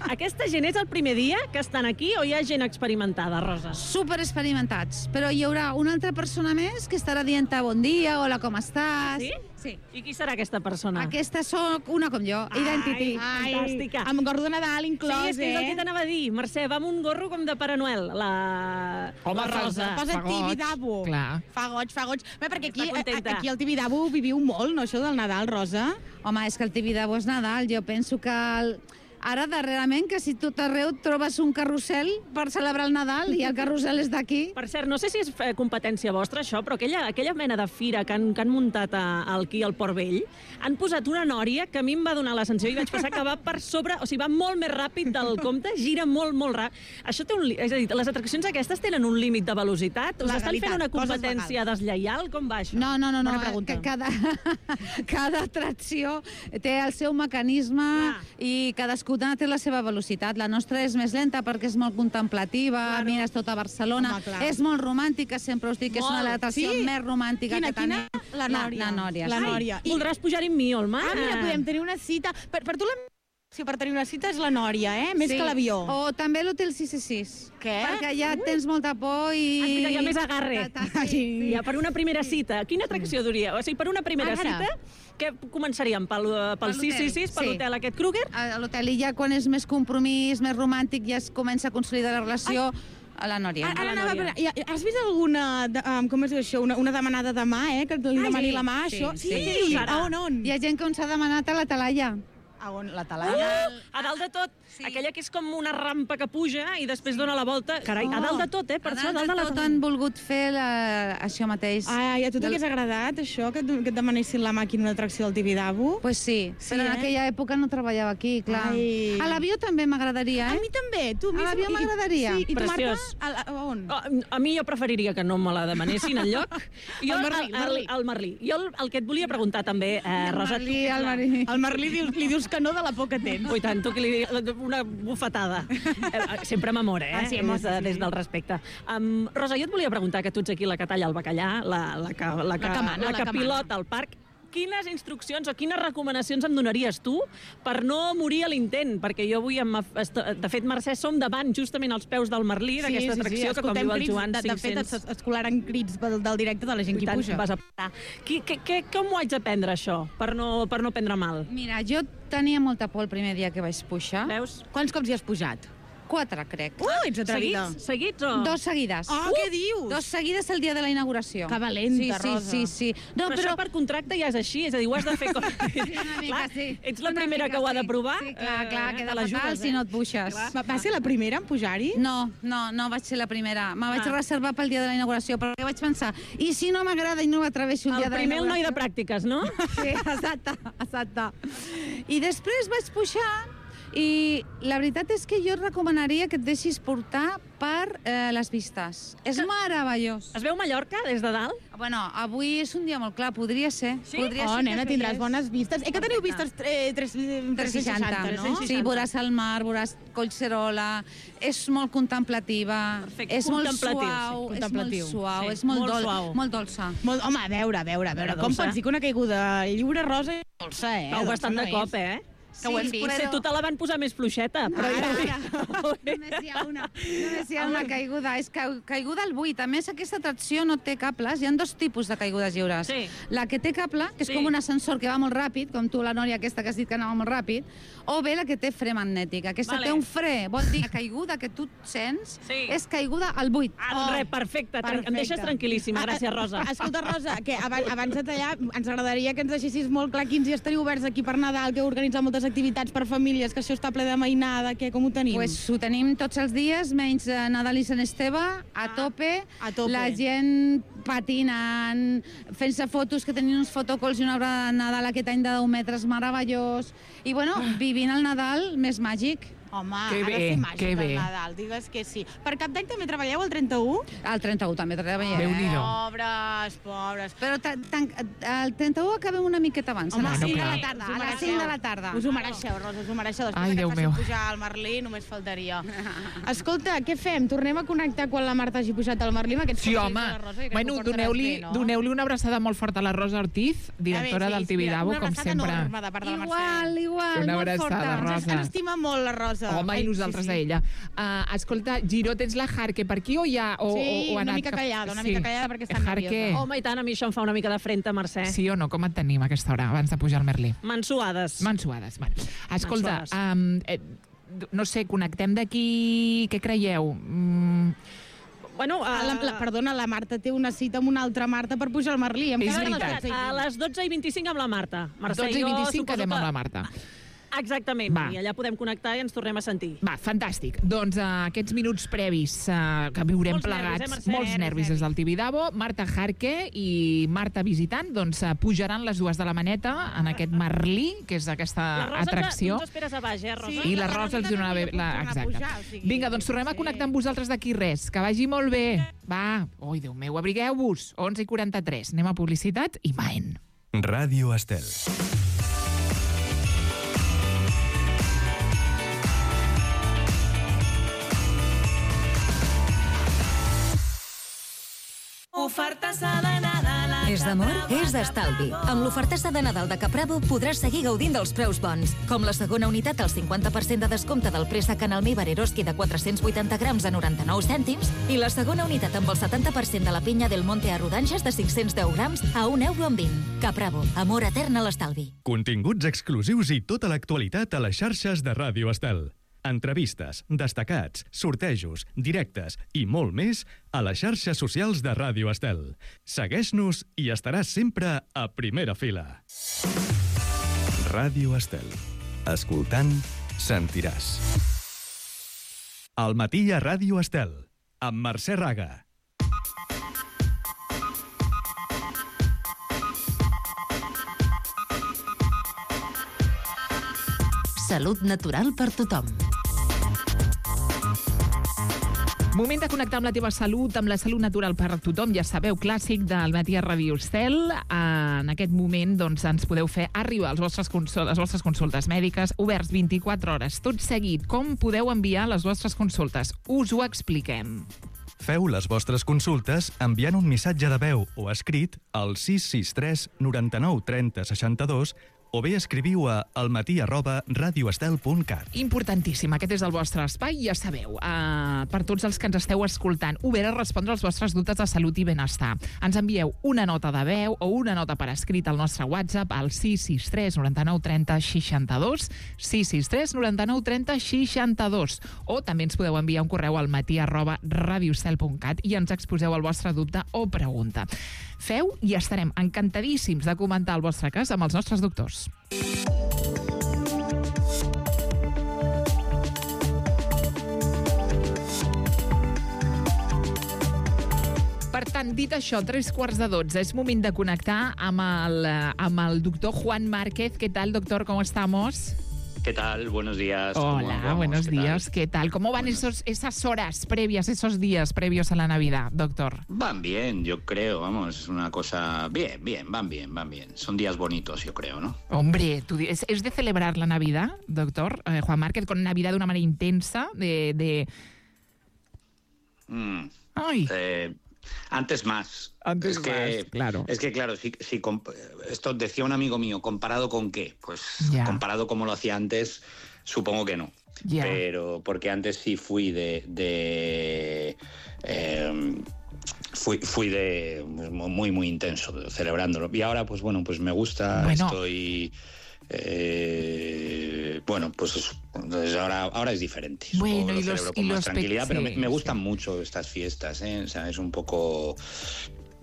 aquesta gent és el primer dia que estan aquí o hi ha gent experimentada, Rosa? Super experimentats. Però hi haurà una altra persona més que estarà dient bon dia, hola, com estàs? Sí? Sí. I qui serà aquesta persona? Aquesta sóc una com jo, Identity. Ai, fantàstica. Amb gorro de Nadal inclòs, Sí, és que és el eh? que t'anava a dir. Mercè, va amb un gorro com de Pare Noel, la, Home, la Rosa. Posa Fa goig, Tibidabo. clar. Fa goig, fa goig. Bé, perquè aquí, Està contenta. aquí al Tibidabo viviu molt, no, això del Nadal, Rosa? Home, és que el Tibidabo és Nadal. Jo penso que el... ara, darrerament, que si tot arreu trobes un carrusel per celebrar el Nadal i el carrusel és d'aquí. Per cert, no sé si és eh, competència vostra, això, però aquella, aquella mena de fira que han, que han muntat a, aquí al Port Vell, han posat una nòria que a mi em va donar la sensació i vaig pensar que va per sobre, o sigui, va molt més ràpid del compte, gira molt, molt ràpid. Això té un... li- És a dir, les atraccions aquestes tenen un límit de velocitat? Us estan Legalitat, fent una coses competència deslleial? Com va això? No, no, no, no. Bona pregunta. Que cada, cada atracció té el seu mecanisme Clar. i cadascuna té la seva velocitat. La nostra és més lenta perquè és molt contemplativa, Claro. mires tota Barcelona, Home, clar. és molt romàntica, sempre us dic que és una de les Molt. atraccions Sí? més romàntica Quina, que tenim. quina? La Nòria. La, la Nòria. La sí. Nòria. I- Voldràs pujar-hi amb mi, Olma? Ah, mira, podem tenir una cita. Per, per tu la si per tenir una cita és la Nòria, eh? Més Sí. que l'avió. O també l'Hotel sis sis sis. Què? Perquè ja tens molta por i... Ah, mira, hi ha més agarre. Ta- ta- Sí, sí. Ja, per una primera cita, quina atracció duria? O sigui, per una primera Ara. cita, què començaríem? Pel, pel Per sis sis sis, per l'hotel. l'hotel aquest Kruger? A l'hotel i ja quan és més compromís, més romàntic, ja es comença a consolidar la relació a la Nòria. Ara, A la ara anava a Nòria. veure, ja- has vist alguna, de, um, com es diu això, una, una demanada de mà, eh? Que li Ah, demani sí, la mà, sí, això? sí. Què dius ara? A on, on? Hi ha gent que ens ha demanat a la Talaia. A on? La Talaia? Uh, a dalt de tot, Sí. aquella que és com una rampa que puja i després dona la volta. Carai, a dalt de tot, eh? Per A això, a dalt dalt de de la tot han volgut fer la... això mateix. Ai, a tu Del- t'hagués agradat, això, que, et- que et demanessin la màquina d'atracció del Tibidabo? Pues sí, Sí, però en eh? aquella època no treballava aquí, clar. Ai. A l'avió també m'agradaria, A eh? mi també, tu. A mi l'avió i- m'agradaria. Sí, i tu, Marta? Preciós. A, a, a on? A, a mi jo preferiria que no me la demanessin enlloc. Jo, El Merlí, el Merlí. El, el Merlí. Jo el, el que et volia preguntar també, eh, El Rosa... Merlí, el Merlí. Al Merlí dius, li dius que no de la por que tens. Ui, tant, tu que li una bufetada. Sempre amb amor, eh? Ah, sí, amb amor, des, de, sí, sí. des del respecte. Um, Rosa, jo et volia preguntar, que tu ets aquí la que talla el bacallà, la, la que, la que, La que mana, la la que que mana. pilota el parc. Quines instruccions o quines recomanacions em donaries tu per no morir a l'intent? Perquè jo avui, amb, de fet, Mercè, som davant justament als peus del Merlí, d'aquesta atracció, que com diu el Joan, de, de fet, es, es colaran crits del, del directe de la gent que hi puja. Vas a parar. Qui, que, que, com ho haig d'aprendre, això, per no, per no prendre mal? Mira, jo tenia molta por el primer dia que vaig pujar. Veus? Quants cops hi has pujat? Quatre, crec. Uh, ets atrevida. Seguits? Seguits o...? Dos seguides. Ah, què dius? Dos seguides el dia de la inauguració. Que valenta, sí, Rosa. Sí, sí, sí. No, però, però això per contracte ja és així, és a dir, ho has de fer... Com... Una mica, clar, sí. ets la Una primera mica, que ho ha de sí. provar. Sí, clar, clar, eh, queda te l'ajudes, fatal si no et puixes. Va, va ser la primera en pujar-hi? No, no, no vaig ser la primera. Me vaig Ah. reservar pel dia de la inauguració, perquè vaig pensar, i si no m'agrada i no m'atreveixo el, El dia de la primer el noi inauguració? de pràctiques, no? Sí, exacte, exacte. I després vaig pujar i la veritat és que jo et recomanaria que et deixis portar per eh, les vistes. És meravellós. Es veu Mallorca des de dalt? Bueno, avui és un dia molt clar, podria ser. Sí? Podria Oh, ser nena, que tindràs veiés bones vistes. Eh, que teniu vistes eh, tres- tres seixanta, no? no? Sí, veuràs el mar, veuràs Collserola, és molt contemplativa, Perfecte, és molt contemplatiu, sí, suau, és contemplatiu. molt suau, Sí, és molt, molt dol, suau. molt dolça. Molt, home, a veure, a veure, a veure. Veure, Com dolça. pots dir que una caiguda lliure, Rosa, és dolça, eh? Cau Dolça bastant no de és. cop, eh? Sí, Que ho hem vist. Potser tu te la van posar més fluixeta, però Ara, ja... Només hi ha una, només hi ha una caiguda. És ca caiguda al buit. A més, aquesta atracció no té cables. Hi ha dos tipus de caigudes lliures. Sí. La que té cable, que és Sí. com un ascensor que va molt ràpid, com tu, la Nòria, aquesta que has dit que anava molt ràpid, o bé la que té fre magnètic. Aquesta Vale. té un fre. Vol dir que la caiguda que tu sents Sí. és caiguda al buit. Ah, doncs res, perfecte. Tran- Em deixes tranquil·líssima. Gràcies, Rosa. Escolta, Rosa, que abans, abans de tallar, ens agradaria que ens deixessis molt clar quins dies teniu oberts aquí per Nadal, que heu organitzat moltes activitats per famílies, que això està ple de mainada, que com ho tenim? Pues ho tenim tots els dies, menys eh, Nadal i Sant Esteve, a Ah, tope. a tope. La gent patinant, fent-se fotos, que tenien uns fotocols i una obra de Nadal aquest any de deu metres meravellós. I, bueno, vivint el Nadal més màgic. Home, Que ha de bé, ser màgic que el bé. Nadal, digues que sí. Per Cap d'Any també treballeu el trenta-u? El trenta-u també treballem. Déu-n'hi-do. Pobres, pobres. Però ta- tan- el trenta-u acabem una miqueta abans, Home, a les sí, cinc de clar. la tarda. Us ho A les mereixeu. cinc de la tarda. Us ho mereixeu, Rosa, us ho mereixeu. Després Ai, de que Déu et facin meu. pujar al Merlí, només faltaria. Escolta, què fem? Tornem a connectar quan la Marta hagi pujat al Merlí amb aquests Sí, consells home. de la Rosa? Jo crec que Bueno, ho portaràs doneu-li bé, no? doneu-li una abraçada molt forta a la Rosa Ortiz, directora A veure, del sí, mira, Tibidabo, una com abraçada sempre. enorme de part de la Mercè. Igual, igual, Una molt abraçada, forta. Rosa. Ens estima molt la Rosa. Home, Ai, i nosaltres sí, a sí. ella. Uh, escolta, Giró, tens la Jarque per aquí o ja... O, Sí, o, o ha una anat mica cap- callada, una mica callada perquè està Jarque. nerviosa. Home, i tant, a mi això em fa una mica de frente, Mercè. Sí o no? Com et tenim a aquesta hora, abans de pujar al Merlí? Mansuades. Mansuades. Bueno. Escolta, Mansuades. um, eh, no sé, connectem d'aquí... Què creieu? Mm, Bueno, Ah, la, la, uh, perdona, la Marta té una cita amb una altra Marta per pujar al Merlí. Em És quedaran veritat. les dotze i a vint. les dotze i vint-i-cinc amb la Marta. Mercè, dotze i jo vint-i-cinc suposo quedem que- amb la Marta. Exactament, Va. i allà podem connectar i ens tornem a sentir. Va, fantàstic. Doncs uh, aquests minuts previs uh, que viurem Molts nervis, plegats, eh, Mercè? molts nervis des del Tibidabo, Marta Jarque i Marta Visitant, doncs uh, pujaran les dues de la maneta en aquest Merlí, que és aquesta La Rosa atracció. ens, ens esperes a baix, eh, Rosa? Sí. I la la Rosa els Rosa donarà bé... també La... pot tornar a Exacte. pujar, o sigui, Vinga, doncs tornem a sí. connectar amb vosaltres d'aquí res. Que vagi molt bé. Va. Ui, Déu meu, abrigueu-vos. onze i quaranta-tres. Anem a publicitat i maen. Ràdio Estel. Ofertassa de Nadal. És d'amor? És d'estalvi. Amb l'ofertassa de Nadal de Caprabo podràs seguir gaudint dels preus bons, com la segona unitat al cinquanta per cent de descompte del préssec en almívar Eroski de quatre-cents vuitanta grams a noranta-nou cèntims i la segona unitat amb el setanta per cent de la pinya del Monte a rodanxes de cinc-cents deu grams a un euro amb vint. Caprabo, amor etern a l'estalvi. Continguts exclusius i tota l'actualitat a les xarxes de Ràdio Estel. Entrevistes, destacats, sortejos, directes i molt més a les xarxes socials de Ràdio Estel. Segueix-nos i estaràs sempre a primera fila. Ràdio Estel. Escoltant, sentiràs. Al matí a Ràdio Estel, amb Mercè Raga. Salut natural per tothom. Moment de connectar amb la teva salut, amb la salut natural per a tothom. Ja sabeu, clàssic del matí a Ràdio Estel. En aquest moment doncs, ens podeu fer arribar les vostres, consol les vostres consultes mèdiques, oberts vint-i-quatre hores. Tot seguit, com podeu enviar les vostres consultes? Us ho expliquem. Feu les vostres consultes enviant un missatge de veu o escrit al sis sis tres noranta-nou trenta seixanta-dos o bé escriviu a almatí arroba radioestel punt cat. Importantíssim, aquest és el vostre espai, ja sabeu. Uh, per tots els que ens esteu escoltant, obert a respondre als vostres dubtes de salut i benestar. Ens envieu una nota de veu o una nota per escrit al nostre WhatsApp al sis sis tres noranta-nou trenta seixanta-dos, sis sis tres noranta-nou trenta seixanta-dos, o també ens podeu enviar un correu al matí arroba radioestel punt cat i ens exposeu el vostre dubte o pregunta. Feu i estarem encantadíssims de comentar el vostre cas amb els nostres doctors. Per tant, dit això, tres quarts de dotze, és moment de connectar amb el, amb el doctor Juan Márquez. ¿Qué tal, doctor? ¿Cómo estamos? ¿Qué tal? Buenos días. Hola, buenos ¿Qué días. tal? ¿Qué tal? ¿Cómo van esos, esas horas previas, esos días previos a la Navidad, doctor? Van bien, yo creo, vamos, es una cosa... Bien, bien, van bien, van bien. Son días bonitos, yo creo, ¿no? Hombre, tú, ¿es, ¿es de celebrar la Navidad, doctor? Eh, Juan Márquez, con Navidad de una manera intensa, de... de... Mm. Ay. Eh, antes más. Antes es que, más, claro. Es que, claro, si, si comp- esto decía un amigo mío, ¿comparado con qué? Pues Ya. comparado como lo hacía antes, supongo que no. Ya. Pero porque antes sí fui de... de eh, Fui, fui de muy, muy intenso, celebrándolo. Y ahora, pues bueno, pues me gusta, Bueno. estoy... Eh, bueno, pues eso. Entonces ahora, ahora es diferente. Supongo Bueno, que lo y los- celebro y con más los pe- tranquilidad, pero sí, me, me gustan mucho estas fiestas, ¿eh? O sea, es un poco...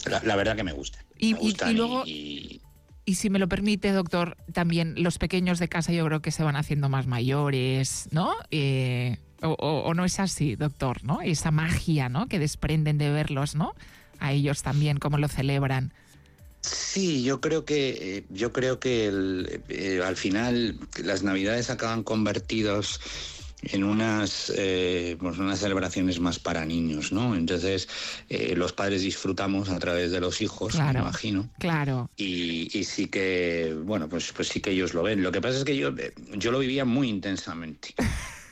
La, la verdad que me gusta. Y- me y- gustan y luego- y- Y si me lo permite, doctor, también los pequeños de casa yo creo que se van haciendo más mayores, ¿no? Eh, o, o- o no es así, doctor, ¿no? Esa magia, ¿no? Que desprenden de verlos, ¿no? A ellos también, cómo lo celebran. Sí, yo creo que eh, yo creo que el, eh, al final las Navidades acaban convertidos en unas eh, pues unas celebraciones más para niños, ¿no? Entonces eh, los padres disfrutamos a través de los hijos, Claro. me imagino. Claro. Y, y sí que, bueno, pues, pues sí que ellos lo ven. Lo que pasa es que yo, yo lo vivía muy intensamente.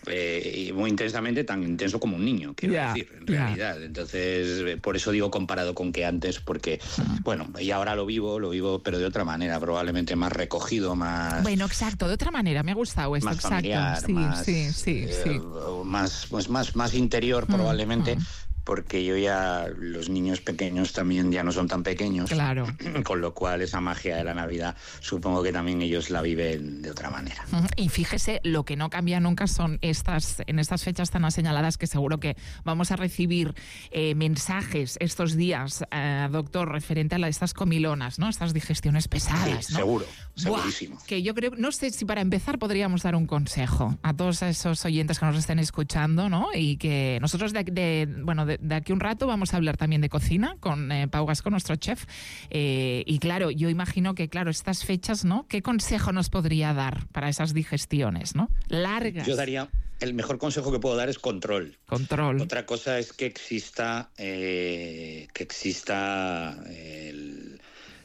Eh, y muy intensamente, tan intenso como un niño, quiero Ya, decir, en ya. realidad. Entonces, eh, por eso digo comparado con que antes, porque, bueno, y ahora lo vivo, lo vivo, pero de otra manera, probablemente más recogido, más... Bueno, exacto, de otra manera, me ha gustado esto, más exacto. familiar, sí, más, sí, sí, eh, sí. más, pues más, más interior Mm, probablemente, mm. porque yo ya, los niños pequeños también ya no son tan pequeños. Claro. Con lo cual esa magia de la Navidad supongo que también ellos la viven de otra manera. Ujú. Y fíjese, lo que no cambia nunca son estas, en estas fechas tan señaladas, que seguro que vamos a recibir eh, mensajes estos días, eh, doctor, referente a la- estas comilonas, ¿no? Estas digestiones pesadas, Sí, ¿no? seguro, Buah, segurísimo. que yo creo, no sé si para empezar podríamos dar un consejo a todos esos oyentes que nos estén escuchando, ¿no? Y que nosotros de, de- bueno, de, de aquí un rato vamos a hablar también de cocina con eh, Pau Gasco, nuestro chef. Eh, y claro, yo imagino que, claro, estas fechas, ¿no? ¿Qué consejo nos podría dar para esas digestiones, ¿no? Largas. Yo daría, el mejor consejo que puedo dar es control. Control. Otra cosa es que exista, eh, que exista el,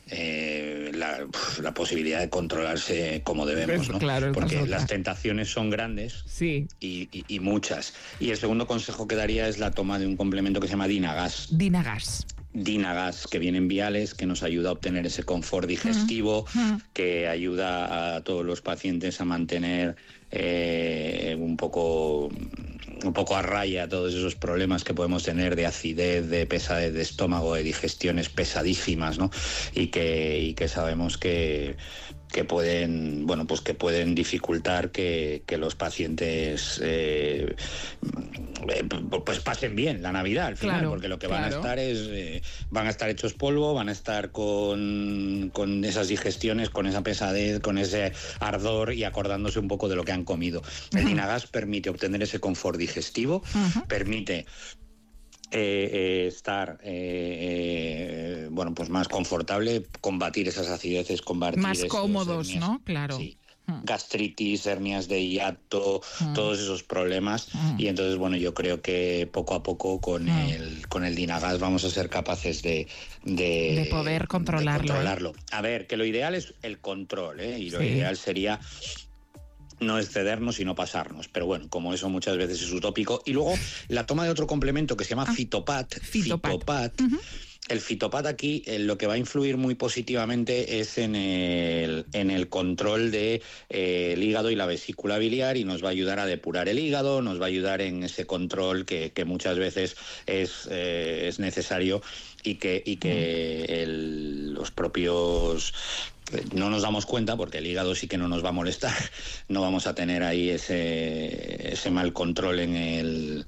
eh, la, la posibilidad de controlarse como debemos, ¿no? Claro, esa es porque otra. las tentaciones son grandes Sí. y, y- y muchas. Y el segundo consejo que daría es la toma de un complemento que se llama Dinagas. Dinagas. Dinagas, que viene en viales, que nos ayuda a obtener ese confort digestivo, que ayuda a todos los pacientes a mantener eh, un poco un poco a raya todos esos problemas que podemos tener de acidez, de pesadez de estómago, de digestiones pesadísimas, ¿no? Y que, y que sabemos que que pueden, bueno, pues que pueden dificultar que, que los pacientes eh, eh, pues pasen bien la Navidad al final, Claro, porque lo que van claro. a estar es eh, van a estar hechos polvo, van a estar con, con esas digestiones, con esa pesadez, con ese ardor y acordándose un poco de lo que han comido. El Dinagas permite obtener ese confort digestivo, permite Eh, eh, estar eh, eh, bueno, pues más confortable, combatir esas acideces, combatir Más esos cómodos, hernias. ¿no? Claro. Sí, mm. gastritis, hernias de hiato, mm. todos esos problemas. Mm. Y entonces, bueno, yo creo que poco a poco con, mm. el, con el Dynagas vamos a ser capaces de... De, de poder controlarlo. De controlarlo. A ver, que lo ideal es el control, ¿eh? Y lo sí. ideal sería... no excedernos y no pasarnos, pero bueno, como eso muchas veces es utópico. Y luego la toma de otro complemento que se llama ah, Fitopat. Fitopat. Fitopat. Uh-huh. El Fitopat aquí eh, lo que va a influir muy positivamente es en el, en el control del de, eh, hígado y la vesícula biliar, y nos va a ayudar a depurar el hígado, nos va a ayudar en ese control que, que muchas veces es, eh, es necesario y que, y que uh-huh. el, los propios... no nos damos cuenta, porque el hígado sí que no nos va a molestar, no vamos a tener ahí ese, ese mal control en el...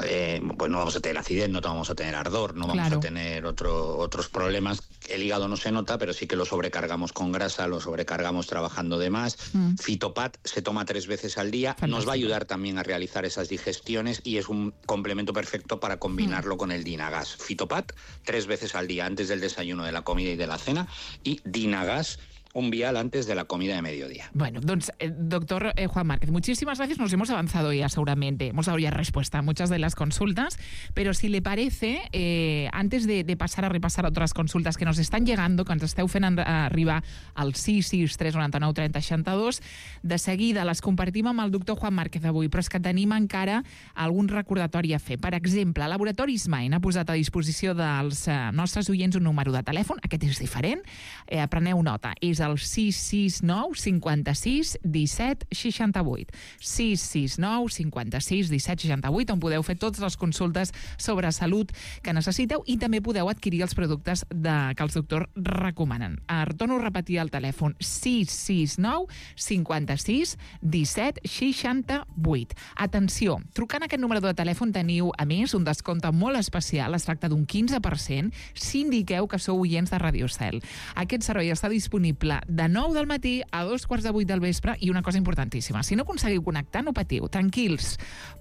Eh, pues no vamos a tener acidez, no vamos a tener ardor, no vamos claro. a tener otro, otros problemas. El hígado no se nota, pero sí que lo sobrecargamos con grasa, lo sobrecargamos trabajando de más. Mm. Fitopat se toma tres veces al día, Fantástico. Nos va a ayudar también a realizar esas digestiones y es un complemento perfecto para combinarlo mm. con el Dynagas. Fitopat tres veces al día, antes del desayuno, de la comida y de la cena, y Dynagas un vial antes de la comida de mediodía. Bueno, doncs, eh, doctor eh, Juan Márquez, muchísimas gracias. Nos hemos avanzado ya seguramente. Hemos dado ya respuesta a muchas de las consultas, pero si le parece, eh, antes de, de pasar a repasar otras consultas que nos estan llegando, que ens esteu fent arribar al sis sis tres nou nou trenta seixanta-dos, de seguida les compartim amb el doctor Juan Márquez avui, però és que tenim encara algun recordatori a fer. Per exemple, Laboratoris Main ha posat a disposició dels eh, nostres oients un número de telèfon, aquest és diferent, eh, preneu nota, és el sis sis nou cinquanta-sis disset seixanta-vuit. sis sis nou cinquanta-sis disset seixanta-vuit, on podeu fer totes les consultes sobre salut que necessiteu i també podeu adquirir els productes de, que els doctors recomanen. Torno a repetir el telèfon sis sis nou cinquanta-sis disset seixanta-vuit. Atenció, trucant a aquest número de telèfon teniu, a més, un descompte molt especial. Es tracta d'un quinze per cent si indiqueu que sou oients de Radio Cel. Aquest servei està disponible de nou del matí a dos quarts de vuit del vespre, i una cosa importantíssima, si no aconseguiu connectar, no patiu, tranquils,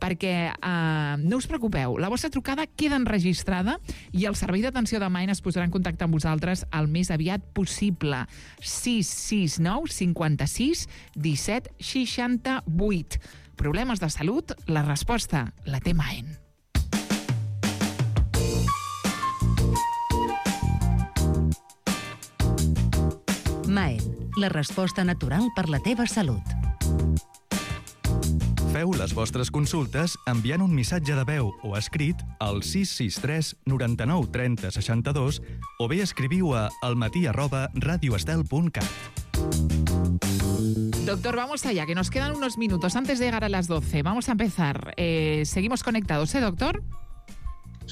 perquè eh, no us preocupeu, la vostra trucada queda enregistrada i el servei d'atenció de Main es posarà en contacte amb vosaltres el més aviat possible. sis sis nou cinquanta-sis disset seixanta-vuit. Problemes de salut? La resposta la té Main. Maen, la resposta natural per la teva salut. Feu les vostres consultes enviant un missatge de veu o escrit al sis sis tres nou nou trenta seixanta-dos o bé escriviu a almatí arroba radioestel punt cat. Doctor, vamos allá, que nos quedan unos minutos antes de llegar a las doce. Vamos a empezar. Eh, seguimos conectados, ¿eh, doctor?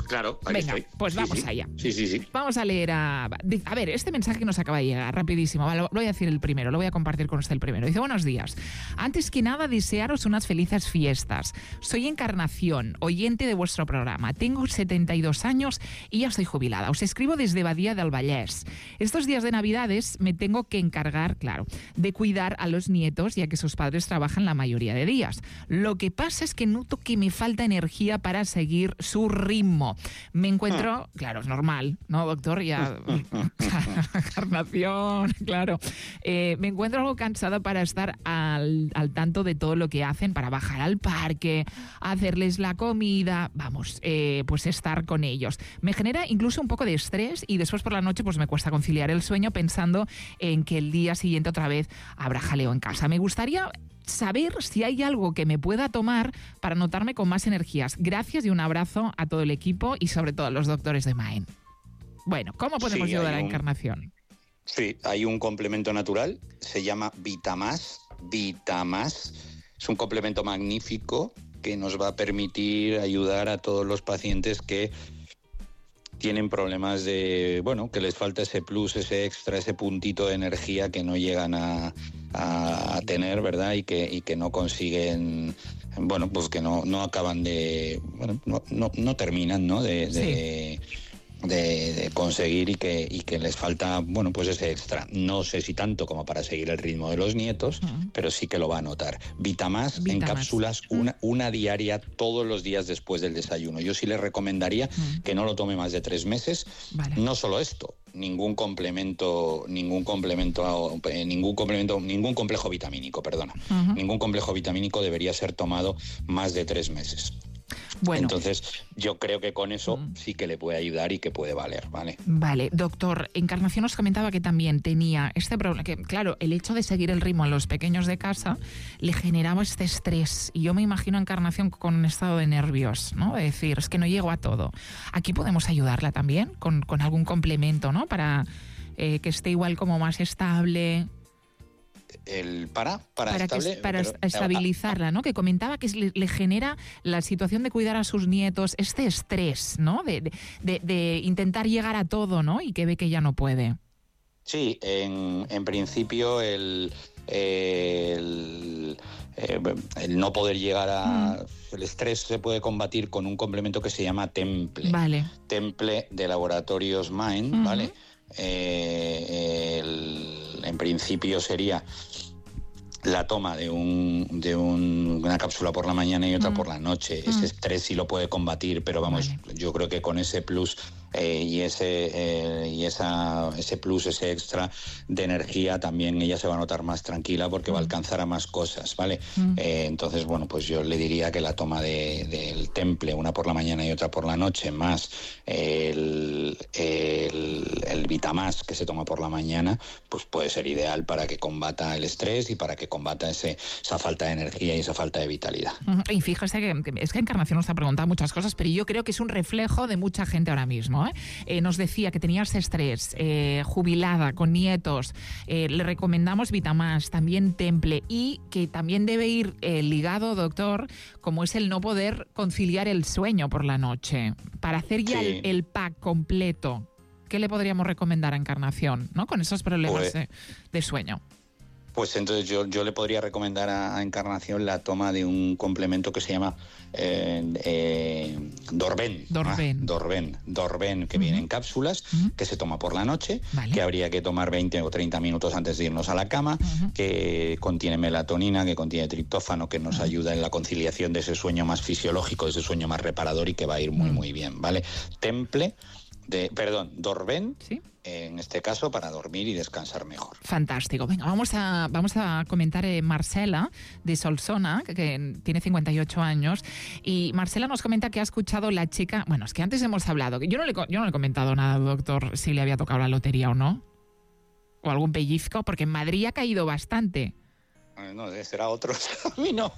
Claro, ahí Venga, estoy. pues sí, vamos sí. allá. Sí, sí, sí. Vamos a leer a... A ver, este mensaje que nos acaba de llegar, rapidísimo. Lo voy a decir el primero, lo voy a compartir con usted el primero. Dice, buenos días. Antes que nada, desearos unas felices fiestas. Soy Encarnación, oyente de vuestro programa. Tengo setenta y dos años y ya soy jubilada. Os escribo desde Badía del Vallès. Estos días de Navidades me tengo que encargar, claro, de cuidar a los nietos, ya que sus padres trabajan la mayoría de días. Lo que pasa es que noto que me falta energía para seguir su ritmo. Me encuentro, claro, es normal, ¿no, doctor? Ya, Encarnación, claro. Eh, me encuentro algo cansada para estar al, al tanto de todo lo que hacen, para bajar al parque, hacerles la comida, vamos, eh, pues estar con ellos. Me genera incluso un poco de estrés y después por la noche pues me cuesta conciliar el sueño pensando en que el día siguiente otra vez habrá jaleo en casa. Me gustaría saber si hay algo que me pueda tomar para notarme con más energías. Gracias y un abrazo a todo el equipo y sobre todo a los doctores de Maen. Bueno, ¿cómo podemos sí, ayudar a la un... Encarnación? Sí, hay un complemento natural, se llama Vitamás. Vitamás es un complemento magnífico que nos va a permitir ayudar a todos los pacientes que tienen problemas de, bueno, que les falta ese plus, ese extra, ese puntito de energía que no llegan a, a, a tener, ¿verdad? Y que, y que no consiguen, bueno, pues que no, no acaban de, bueno, no, no, no terminan, ¿no? De, de, de, de conseguir y que, y que les falta, bueno, pues ese extra. No sé si tanto como para seguir el ritmo de los nietos, uh-huh. pero sí que lo va a notar. Vitamás, Vitamás. en cápsulas, uh-huh. una, una diaria todos los días después del desayuno. Yo sí le recomendaría uh-huh. que no lo tome más de tres meses. Vale. No solo esto, ningún complemento, ningún complemento, eh, ningún complemento, ningún complejo vitamínico, perdona. Uh-huh. Ningún complejo vitamínico debería ser tomado más de tres meses. Bueno. Entonces, yo creo que con eso mm. sí que le puede ayudar y que puede valer, ¿vale? Vale, doctor, Encarnación nos comentaba que también tenía este problema, que claro, el hecho de seguir el ritmo a los pequeños de casa le generaba este estrés, y yo me imagino a Encarnación con un estado de nervios, ¿no? De decir, es que no llego a todo. Aquí podemos ayudarla también con, con algún complemento, ¿no? Para eh, que esté igual como más estable... El para para, para, estable, que, para pero, estabilizarla, ¿no? Que comentaba que le, le genera la situación de cuidar a sus nietos, este estrés, ¿no? De, de, de intentar llegar a todo, ¿no? Y que ve que ya no puede. Sí, en, en principio el, el, el no poder llegar a... Mm. El estrés se puede combatir con un complemento que se llama Temple. Vale. Temple de Laboratorios Mind, uh-huh. ¿vale? Eh, el, en principio sería la toma de, un, de un, una cápsula por la mañana y otra mm. por la noche. Mm. Ese estrés sí lo puede combatir, pero vamos, vale. yo creo que con ese plus eh, y ese eh, y esa ese plus, ese extra de energía, también ella se va a notar más tranquila porque mm. va a alcanzar a más cosas, ¿vale? Mm. Eh, entonces, bueno, pues yo le diría que la toma de, del Temple, una por la mañana y otra por la noche, más el, el, el Vitamás que se toma por la mañana, pues puede ser ideal para que combata el estrés y para que combata ese, esa falta de energía y esa falta de vitalidad. Y fíjese que, que es que Encarnación nos ha preguntado muchas cosas, pero yo creo que es un reflejo de mucha gente ahora mismo, ¿eh? Eh, nos decía que tenía ese estrés, eh, jubilada, con nietos, eh, le recomendamos Vitamás, también Temple, y que también debe ir eh, ligado, doctor, como es el no poder conciliar el sueño por la noche. Para hacer ya sí. el, el pack completo, ¿qué le podríamos recomendar a Encarnación, ¿no? Con esos problemas pues... de, de sueño? Pues entonces yo, yo le podría recomendar a, a Encarnación la toma de un complemento que se llama eh, eh, Dorben. Dorben. Ah, Dorben. Dorben, que uh-huh. viene en cápsulas, uh-huh. que se toma por la noche, vale. que habría que tomar veinte o treinta minutos antes de irnos a la cama, uh-huh. que contiene melatonina, que contiene triptófano, que nos uh-huh. ayuda en la conciliación de ese sueño más fisiológico, de ese sueño más reparador y que va a ir muy, uh-huh. muy bien, ¿vale? Temple, de, perdón, Dorben. ¿Sí? En este caso, para dormir y descansar mejor. Fantástico. Venga, vamos a, vamos a comentar eh, Marcela, de Solsona, que, que tiene cincuenta y ocho años, y Marcela nos comenta que ha escuchado la chica... Bueno, es que antes hemos hablado, que yo no le, yo no le he comentado nada, doctor, si le había tocado la lotería o no, o algún pellizco, porque en Madrid ha caído bastante. No, será otro. A mí no.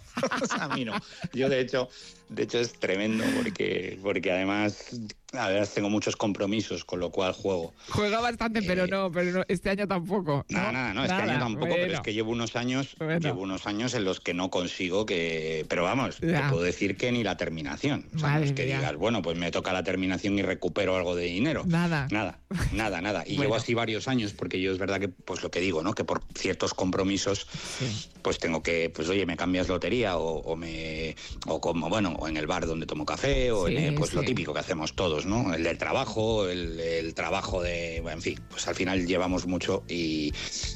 A mí no. Yo, de hecho, de hecho es tremendo porque, porque además, además tengo muchos compromisos, con lo cual juego. Juega bastante, eh, pero no, pero no, este año tampoco. Nada, ¿no? nada, no, este nada, año tampoco, bueno. pero es que llevo unos años, bueno. llevo unos años en los que no consigo que, pero vamos, ya. te puedo decir que ni la terminación. O sea, no es que ya. digas, bueno, pues me toca la terminación y recupero algo de dinero. Nada. Nada, nada, nada. Y bueno. llevo así varios años, porque yo es verdad que, pues lo que digo, ¿no? Que por ciertos compromisos, sí. pues tengo que, pues oye, me cambias lotería o, o me, o como, bueno, o en el bar donde tomo café, o sí, en el, pues sí. lo típico que hacemos todos, ¿no? El del trabajo, el, el trabajo de, en fin, pues al final llevamos mucho y,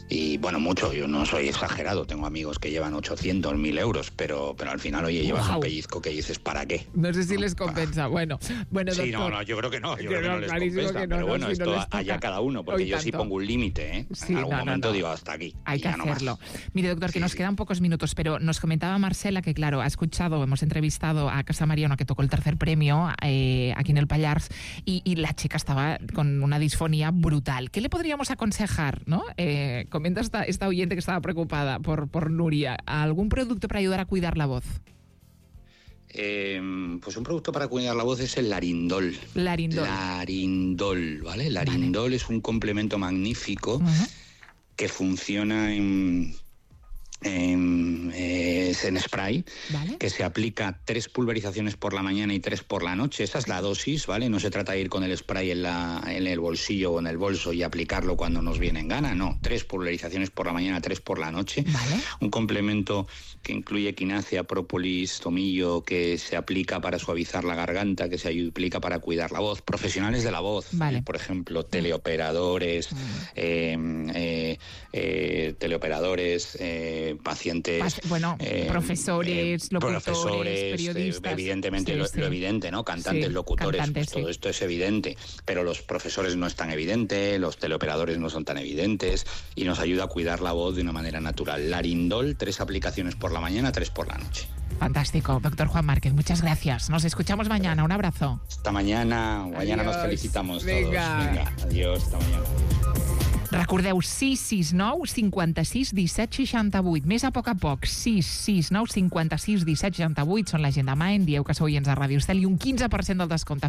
y bueno, mucho, yo no soy exagerado, tengo amigos que llevan ochocientos, mil euros, pero, pero al final, oye, llevas wow. un pellizco que dices, ¿para qué? No sé si les compensa, bueno, bueno, sí, doctor, no, no, yo creo que no, yo, yo creo que no les compensa, que no, pero bueno, no, si esto no allá cada uno, porque yo sí pongo un límite, ¿eh? Sí, en algún no, momento no, no. digo, hasta aquí. Hay que hacerlo. No Mire, doctor, que sí, nos sí. quedan pocos minutos, pero nos comentaba Marcela que, claro, ha escuchado, hemos entrevistado a Casa Mariano, que tocó el tercer premio eh, aquí en el Pallars, y, y la chica estaba con una disfonía brutal. ¿Qué le podríamos aconsejar, no? Eh, comenta esta, esta oyente que estaba preocupada por, por Nuria. ¿Algún producto para ayudar a cuidar la voz? Eh, pues un producto para cuidar la voz es el Larindol. Larindol. Larindol, ¿vale? Larindol vale. es un complemento magnífico uh-huh. que funciona en... Eh, eh, es en spray, ¿vale? Que se aplica tres pulverizaciones por la mañana y tres por la noche. Esa es la dosis, ¿vale? No se trata de ir con el spray en, la, en el bolsillo o en el bolso y aplicarlo cuando nos viene en gana, no. Tres pulverizaciones por la mañana, tres por la noche. ¿Vale? Un complemento que incluye quinasia, própolis, tomillo, que se aplica para suavizar la garganta, que se aplica para cuidar la voz. Profesionales de la voz, vale. eh, por ejemplo, teleoperadores, mm. eh, eh, eh, teleoperadores, eh, pacientes... Pas bueno, eh, profesores, eh, locutores, profesores, periodistas... Eh, evidentemente, sí, lo, sí. lo evidente, ¿no? Cantantes, sí, locutores, cantantes, pues todo sí. esto es evidente, pero los profesores no es tan evidente, los teleoperadores no son tan evidentes y nos ayuda a cuidar la voz de una manera natural. Larindol, tres aplicaciones por la mañana, tres por la noche. Fantástico, doctor Juan Márquez, muchas gracias. Nos escuchamos mañana, un abrazo. Hasta mañana, mañana adiós, nos felicitamos venga. todos. Venga, adiós, hasta mañana. Recordeu, sis sis nou cinquanta-sis disset seixanta-vuit. Més a poc a poc, sis sis nou cinquanta-sis disset seixanta-vuit. Són la gent de Maen, dieu que sou oients de Ràdio Estel i un quinze per cent del descompte.